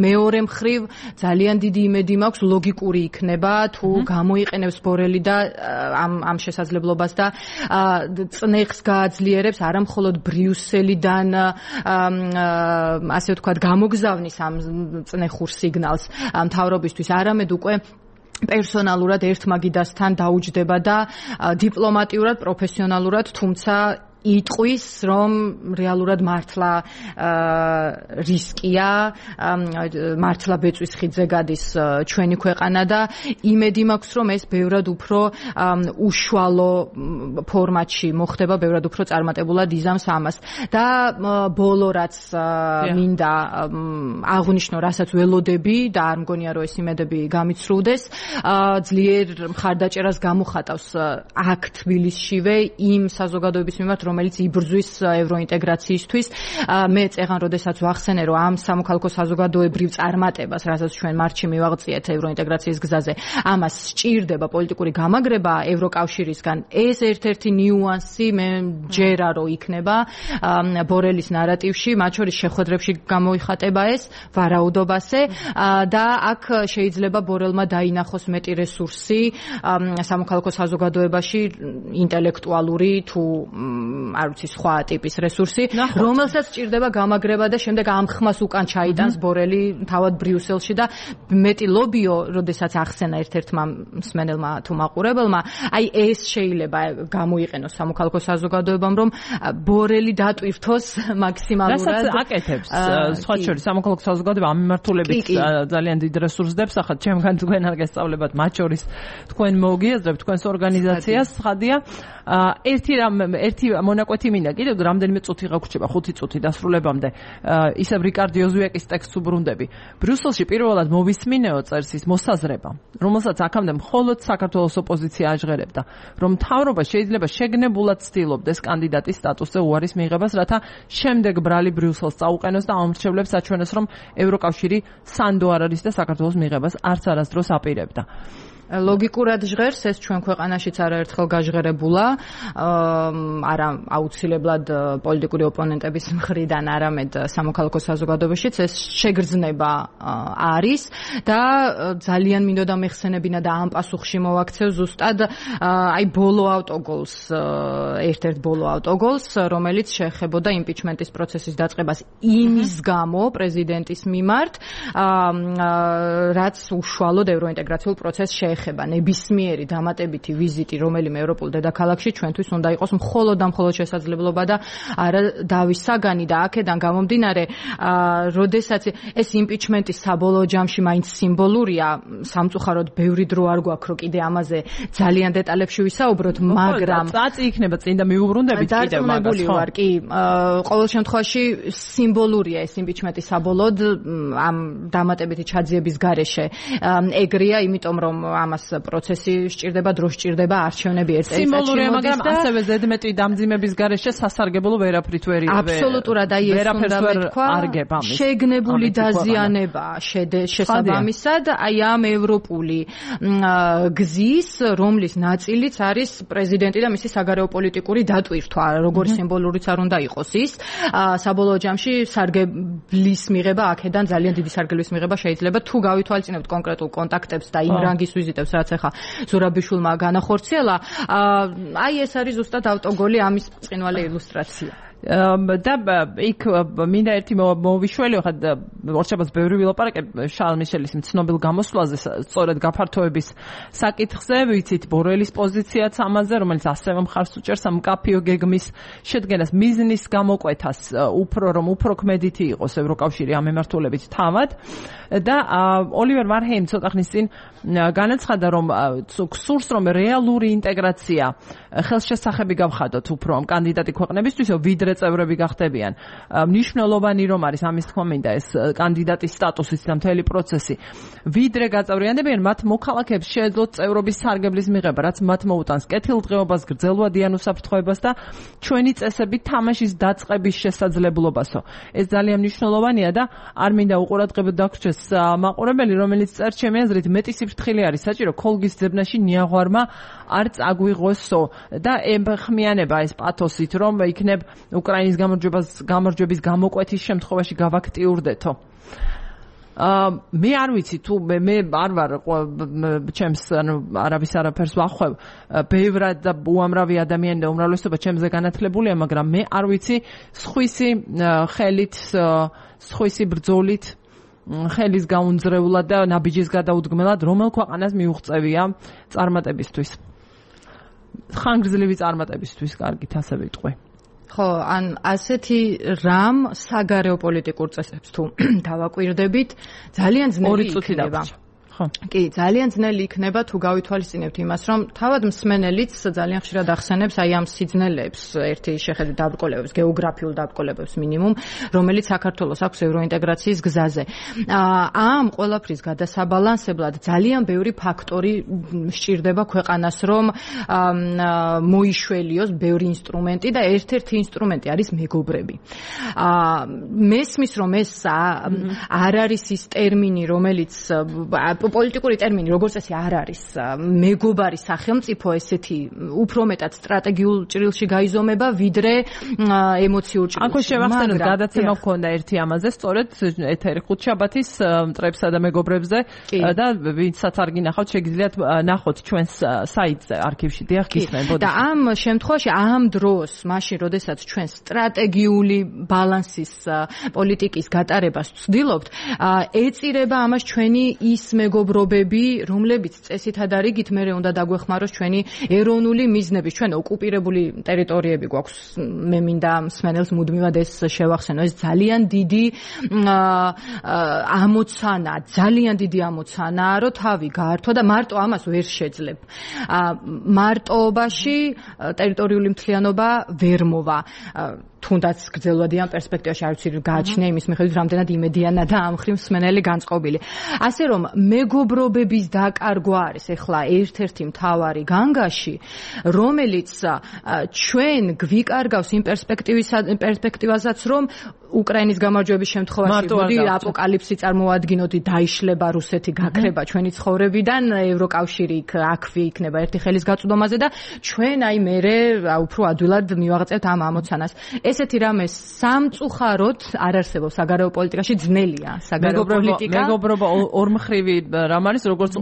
მეორე მხრივ ძალიან დიდი იმედი მაქვს ლოგიკური იქნება თუ გამოიყენებს ბორელი და ამ შესაძლებლობას და წნეხს გააძლიერებს არა მხოლოდ ბრიუსელიდან ასე ვთქვათ გამოგზავნის ამ წნეხურ სიგნალს მთავრობისთვის, არამედ უკვე პერსონალურად ერთმაგიდასთან დაუჯდება და დიპლომატიურად, პროფესიონალურად, თუმცა იტყვის, რომ რეალურად მართლა რისკია, მართლა ბეწვის ხიდზე გადის ჩვენი ქვეყანა და იმედი მაქვს, რომ ეს ბევრად უფრო უშუალო ფორმატში მოხდება, ბევრად უფრო წარმატებულად იზამს ამას. და ბოლო რაც მინდა აღვნიშნო, რასაც ველოდები და არ მგონია, რომ ეს იმედები გამიცრუდეს, ძლიერ მხარდაჭერას გამოხატავს აქ თბილისშივე იმ საზოგადოების მიმართ, რომელიც იბრძვის ევროინტეგრაციისთვის. მე წეგან როდესაც ვახსენე, რომ ამ სამოქალაქო საზოგადოებრივ წარმატებას, რასაც ჩვენ მარტში მივაღწიეთ ევროინტეგრაციის გზაზე, ამას სჭირდება პოლიტიკური გამაგრება ევროკავშირისგან. ეს ერთ-ერთი ნიუანსი მე ჯერა რომ იქნება ბორელის ნარატივში, მათ შორის შეხვედრებში გამოიხატება ეს ვარაუდობასე და აქ შეიძლება ბორელმა დაინახოს მეტი რესურსი სამოქალაქო საზოგადოებაში, ინტელექტუალური თუ არ ვიცი სხვა ტიპის რესურსი, რომელსაც სჭირდება გამაგრება და შემდეგ ამ ხმას უკან ჩაიტანს ბორელი თავად ბრიუსელში და მეტი ლობიო, როდესაც ახსენა ერთ-ერთმა მსმენელმა თუ მაყურებელმა, აი ეს შეიძლება გამოიყენოს სამოქალაქო საზოგადოებამ, რომ ბორელი დატვირთოს მაქსიმალურად. რასაც აკეთებს სხვა შორის სამოქალაქო საზოგადოება ამ მიმართულებით ძალიან დიდ რესურსს დებს, ახლა ჩემგან თქვენ არ გესწავლებათ, მათ შორის თქვენ მოგიაზრებთ თქვენს ორგანიზაციას, ხადია. ერთი მონაკვეთი მინდა კიდევ რამდენიმე წუთი გაგვრჩება, 5 წუთი დასრულებამდე. ისევ რიკარდ იოზუეკის ტექსტს უბრუნდები. ბრიუსელში პირველად მოვისმინეო წერს ის მოსაზრება, რომელსაც აქამდე მხოლოდ საქართველოს ოპოზიცია აჟღერებდა, რომ მთავრობა შეიძლება შეგნებულად ცდილობდეს კანდიდატის სტატუსზე უარის მიღებას, რათა შემდეგ ბრალი ბრიუსელს წაუყენოს და ამრჩევლებს აჩვენოს, რომ ევროკავშირი სანდო არ არის და საქართველოს მიღებას არც არასდროს აპირებდა. ლოგიკურად ჟღერს, ეს ჩვენ ქვეყანაშიც არაერთხელ გაჟღერებულა, არა აუცილებლად პოლიტიკური ოპონენტების მხრიდან, არამედ სამოქალაქო საზოგადოებაშიც ეს შეგრძნება არის და ძალიან მინდოდა მეხსენებინა და ამ პასუხში მოვაქცევ ზუსტად აი ბოლო ავტოგოლს, ერთ-ერთ ბოლო ავტოგოლს, რომელიც შეეხებოდა იმპიჩმენტის პროცესის დაწყებას იმის გამო პრეზიდენტის მიმართ, რაც უშუალოდ ევროინტეგრაციულ პროცესს შეეხება. ნებისმიერი დამატებითი ვიზიტი რომელიმე ევროპულ დედაქალაქში ჩვენთვის უნდა იყოს მხოლოდ და მხოლოდ შესაძლებლობა და არა დავის საგანი და აქედან გამომდინარე, როდესაც ეს იმპიჩმენტის საბოლოო ჯამში მაინც სიმბოლურია, სამწუხაროდ ბევრი დრო არ გვაქვს რომ კიდე ამაზე ძალიან დეტალებში ვისაუბროთ, მაგრამ წაწი იქნება წინ და მიუბრუნდებით კიდევ მაგას, ხო? ვარ კი, ყოველ შემთხვევაში სიმბოლურია ეს იმპიჩმენტის საბოლოოდ ამ დამატებითი ჩაძიების გარეშე ეგრეა, იმიტომ რომ ამას პროცესი სჭირდება, დრო სჭირდება, არჩევნები ერთ წელიწადში მოდის და სიმბოლურია, მაგრამ ასევე ზედმეტი დამძიმების გარეშე სასარგებლო ვერაფრით ვერ აბსოლუტურად აი ეს უნდა მეთქვა, შეგნებული დაზიანება შესაბამისად აი ამ ევროპული გზის, რომლის ნაწილიც არის პრეზიდენტი და მისი საგარეო პოლიტიკური დატვირთვა, როგორ სიმბოლურიც არ უნდა იყოს ის, საბოლოო ჯამში სარგებლის მიღება აქედან ძალიან დიდი სარგებლის მიღება შეიძლება თუ გავითვალისწინებთ კონკრეტულ კონტაქტებს და იმ რანგის ვიზიტებს, რაც ახლა ზურაბიშვილმა განახორციელა, აი ეს არის ზუსტად ავტოგოლი ამის ბრწყინვალე ილუსტრაცია. და იქ მინდა ერთი მოვიშველიო, ხა ორჩაბას ბევრი ვილაპარაკებ შარლ მიშელის ცნობილ გამოსვლაზე, სწორედ გაფართოების საკითხზე, ვიცით ბორელის პოზიციაც ამაზე, რომელიც ასევე მხარს უჭერს ამ მკაფიო გეგმის შედგენას, მიზნის გამოკვეთას, უფრო ქმედითი იყოს ევროკავშირი ამ მიმართულებით თავად და ოლივერ ვარჰეიმ ცოტა ხნის წინ განაცხადა, რომ გსურს, რომ რეალური ინტეგრაცია ხელშესახები გავხადოთ უფრო ამ კანდიდატი ქვეყნებისთვის, ვიდრე წევრები გახდებიან. მნიშვნელოვანი რომ არის ამის თქმა მინდა ეს კანდიდატის სტატუსის და მთელი პროცესი. ვიდრე გაწევრიანდებიან, მათ მოქალაქეებს შეეძლოთ წევრობის სარგებლის მიღება, რაც მათ მოუტანს კეთილდღეობას, გრძელვადიან უსაფრთხოებას და ჩვენი წესები თამაშის დაწყების შესაძლებლობასო. ეს ძალიან მნიშვნელოვანია და არ მინდა უყურადღებოდ დაგვრჩეს მაყურებელი, რომელიც წერს ჩემი აზრით მეტი სიფრთხილე არის საჭირო ქოლგის ძებნაში ნიაღვარმა არ წაგვიღოსო და ემხმიანება ეს პათოსით, რომ იქნებ უკრაინის გამარჯვების გამოკვეთის შემთხვევაში გავაქტიურდეთო. მე არ ვიცი თუ მე არ ვარ ჩემს არავის არაფერს ვახვევ, ბევრად და უამრავი ადამიანი და უმრავლესობა ჩემზე განათლებულია, მაგრამ მე არ ვიცი სხვისი ხელით, სხვისი ბრძოლით, ხელის გაუნძრევლად და ნაბიჯის გადაუდგმელად რომელ ქვეყანას მიუღწევია წარმატებისთვის. ხანგრძლივი წარმატებისთვის, კარგით ასე ვიტყვი. ხო, ან ასეთი რამ საგარეო პოლიტიკურ წესებს თუ დავაკვირდებით, ძალიან ძნელი იქნება. ხო? კი, ძალიან ძნელი იქნება თუ გავითვალისწინებთ იმას, რომ თავად მსმენელიც ძალიან ხშირად ახსენებს აი ამ სიძნელეებს, ერთი შეხედვით დაბრკოლებებს, გეოგრაფიულ დაბრკოლებებს მინიმუმ, რომელიც საქართველოს აქვს ევროინტეგრაციის გზაზე. ამ ყველაფრის გადასაბალანსებლად ძალიან ბევრი ფაქტორი სჭირდება ქვეყანას, რომ მოიშველიოს ბევრი ინსტრუმენტი და ერთ-ერთი ინსტრუმენტი არის მეგობრები. მესმის რომ ეს არ არის ის ტერმინი, რომელიც პოლიტიკური ტერმინი, როგორც წესი არ არის მეგობარი სახელმწიფო, ესეთი უფრო მეტად სტრატეგიულ ჭრილში გაიზომება, ვიდრე ემოციურ ჭრილში. აქვე შევახსენოთ, გადაცემა გქონდა ერთი ამაზე, სწორედ ეთერი ხუთშაბათის მტრებსა და მეგობრებზე და ვინცაც არ გინახავთ, შეგიძლიათ ნახოთ ჩვენს საიტზე, არქივში, დიახ, გისმენთ. და ამ შემთხვევაში, ამ დროს, მაშინ, როდესაც ჩვენ სტრატეგიული ბალანსის პოლიტიკის გატარებას ვცდილობთ, ეწირება ამას ჩვენი ის მეგობრობები, რომლებიც წესითა და რიგით მერე უნდა დაგვეხმაროს ჩვენი ეროვნული მიზნების, ჩვენ ოკუპირებული ტერიტორიები გვაქვს, მე მინდა მსმენელს მუდმივად ეს შევახსენო, ეს ძალიან დიდი ამოცანა, ძალიან დიდი ამოცანაა, რომ თავი გაართვა და მარტო ამას ვერ შეძლებ. მარტოობაში ტერიტორიული მთლიანობა ვერ მოვა. თუნდაც გრძელვადიან პერსპექტივაში არ ვიცი გააჩნია იმის მიხედვით რამდენად იმედიანა და ამ მხრივ მსმენელი განწყობილი. ასე რომ მეგობრობების დაკარგვა არის ახლა ერთ-ერთი მთავარი განგაში, რომელიც ჩვენ გვიკარგავს იმ პერსპექტივასაც, რომ უკრაინის გამარჯვების შემთხვევაში მოდი აპოკალიფსი წარმოვადგინოთ, დაიშლება რუსეთი, გაქრება ჩვენი ცხოვრებიდან, ევროკავშირი აქვე იქნება ერთი ხელის გაწვდომაზე და ჩვენ აი მერე უფრო ადვილად მივაღწევთ ამ ამოცანას. ესეთი რამე სამწუხაროდ არ არსებობს საგარეო პოლიტიკაში, ძნელია საგარეო პოლიტიკა. მეგობრობა ორმხრივი რამ არის, როგორც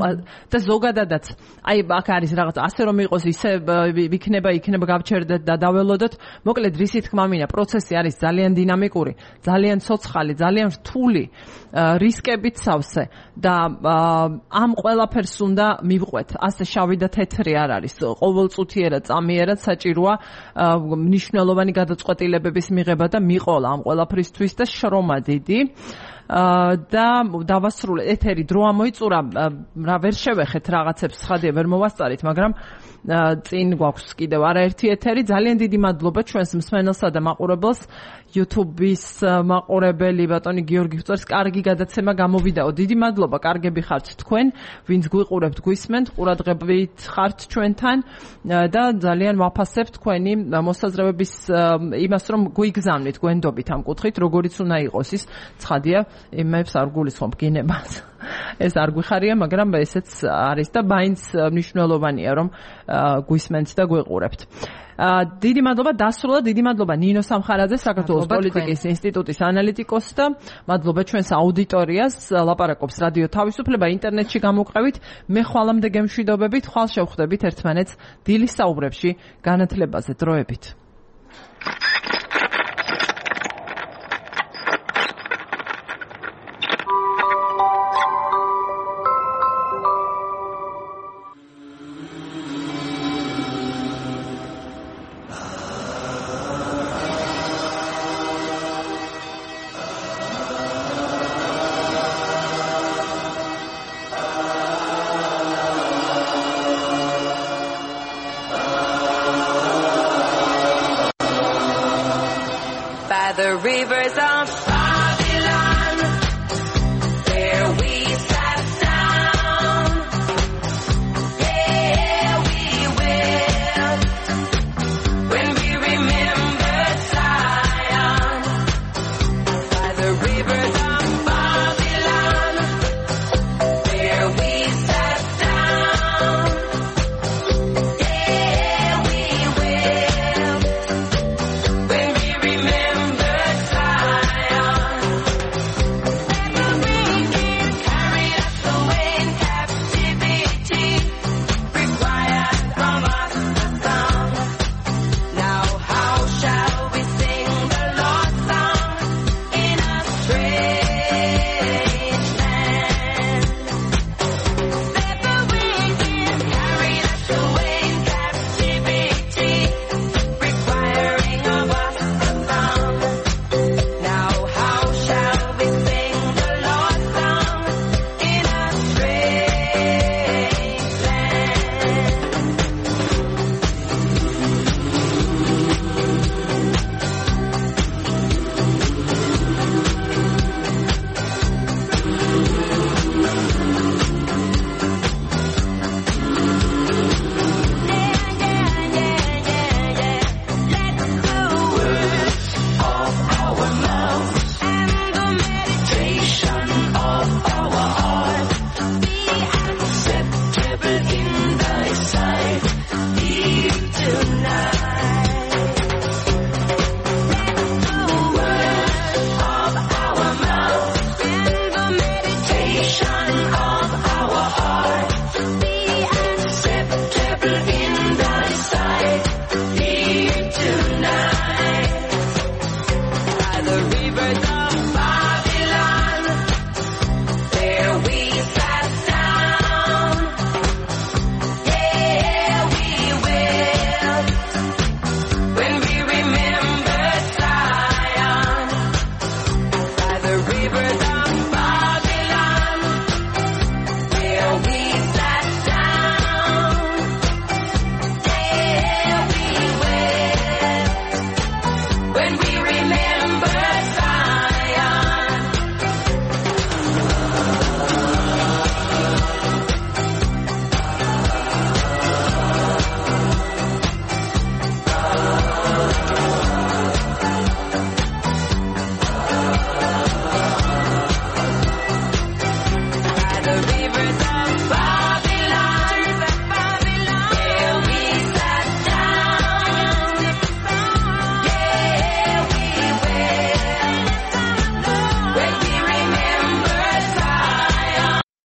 და ზოგადადაც აი აქ არის რაღაც ასე რომ იყოს, ისე იქნება გავჩერდეთ და დაველოდოთ. მოკლედ რისი თქმა მინდა, პროცესი არის ძალიან დინამიკური, ძალიან ცოცხალი, ძალიან რთული, რისკებით სავსე და ამ ყველაფერს უნდა მივყვეთ. ასე შავი და თეთრი არ არის. ყოველწუთიერად, წამიერად საჭიროა მნიშვნელოვანი გადაწყვეტილებების მიღება და მიყოლა ამ ყველაფრისთვის და შრომა დიდი. და დავასრულე ეთერი დრო ამოიწურა, რა ვერ შევეხეთ რაღაცებს, ცხადია ვერ მოვასწარით, მაგრამ წინ გვაქვს კიდევ არაერთი ეთერი. ძალიან დიდი მადლობა ჩვენს მსმენელსა და მაყურებელს. YouTube-ის მაყურებელი ბატონი გიორგი ფწორს კარგი გადაცემა გამოვიდაო. დიდი მადლობა, კარგები ხართ თქვენ, ვინც გვიყურებთ, გვისმენთ, ყურადღებით ხართ ჩვენთან და ძალიან ვაფასებთ თქვენი მოსაზრებების იმას, რომ გვიგზავნით, გვენდობით ამ კუთხით, როგორიც უნდა იყოს ის, ცხადია, იმებს არ გულისხმობ გინებას. ეს არ გვიხარია, მაგრამ ესეც არის და მაინც მნიშვნელოვანია, რომ გვისმენთ და გვიყურებთ. დიდი მადლობა დასრულდა, დიდი მადლობა ნინო სამხარაძე, საქართველოს პოლიტიკის ინსტიტუტის ანალიტიკოსს და მადლობა ჩვენს აუდიტორიას, ლაპარაკობს რადიო თავისუფლება ინტერნეტში გამოვყევით. მე ხვალამდე გემშვიდობებით, ხვალ შევხვდებით ერთმანეთს დილის საუბრებში, განათლებაზე, დროებით. The river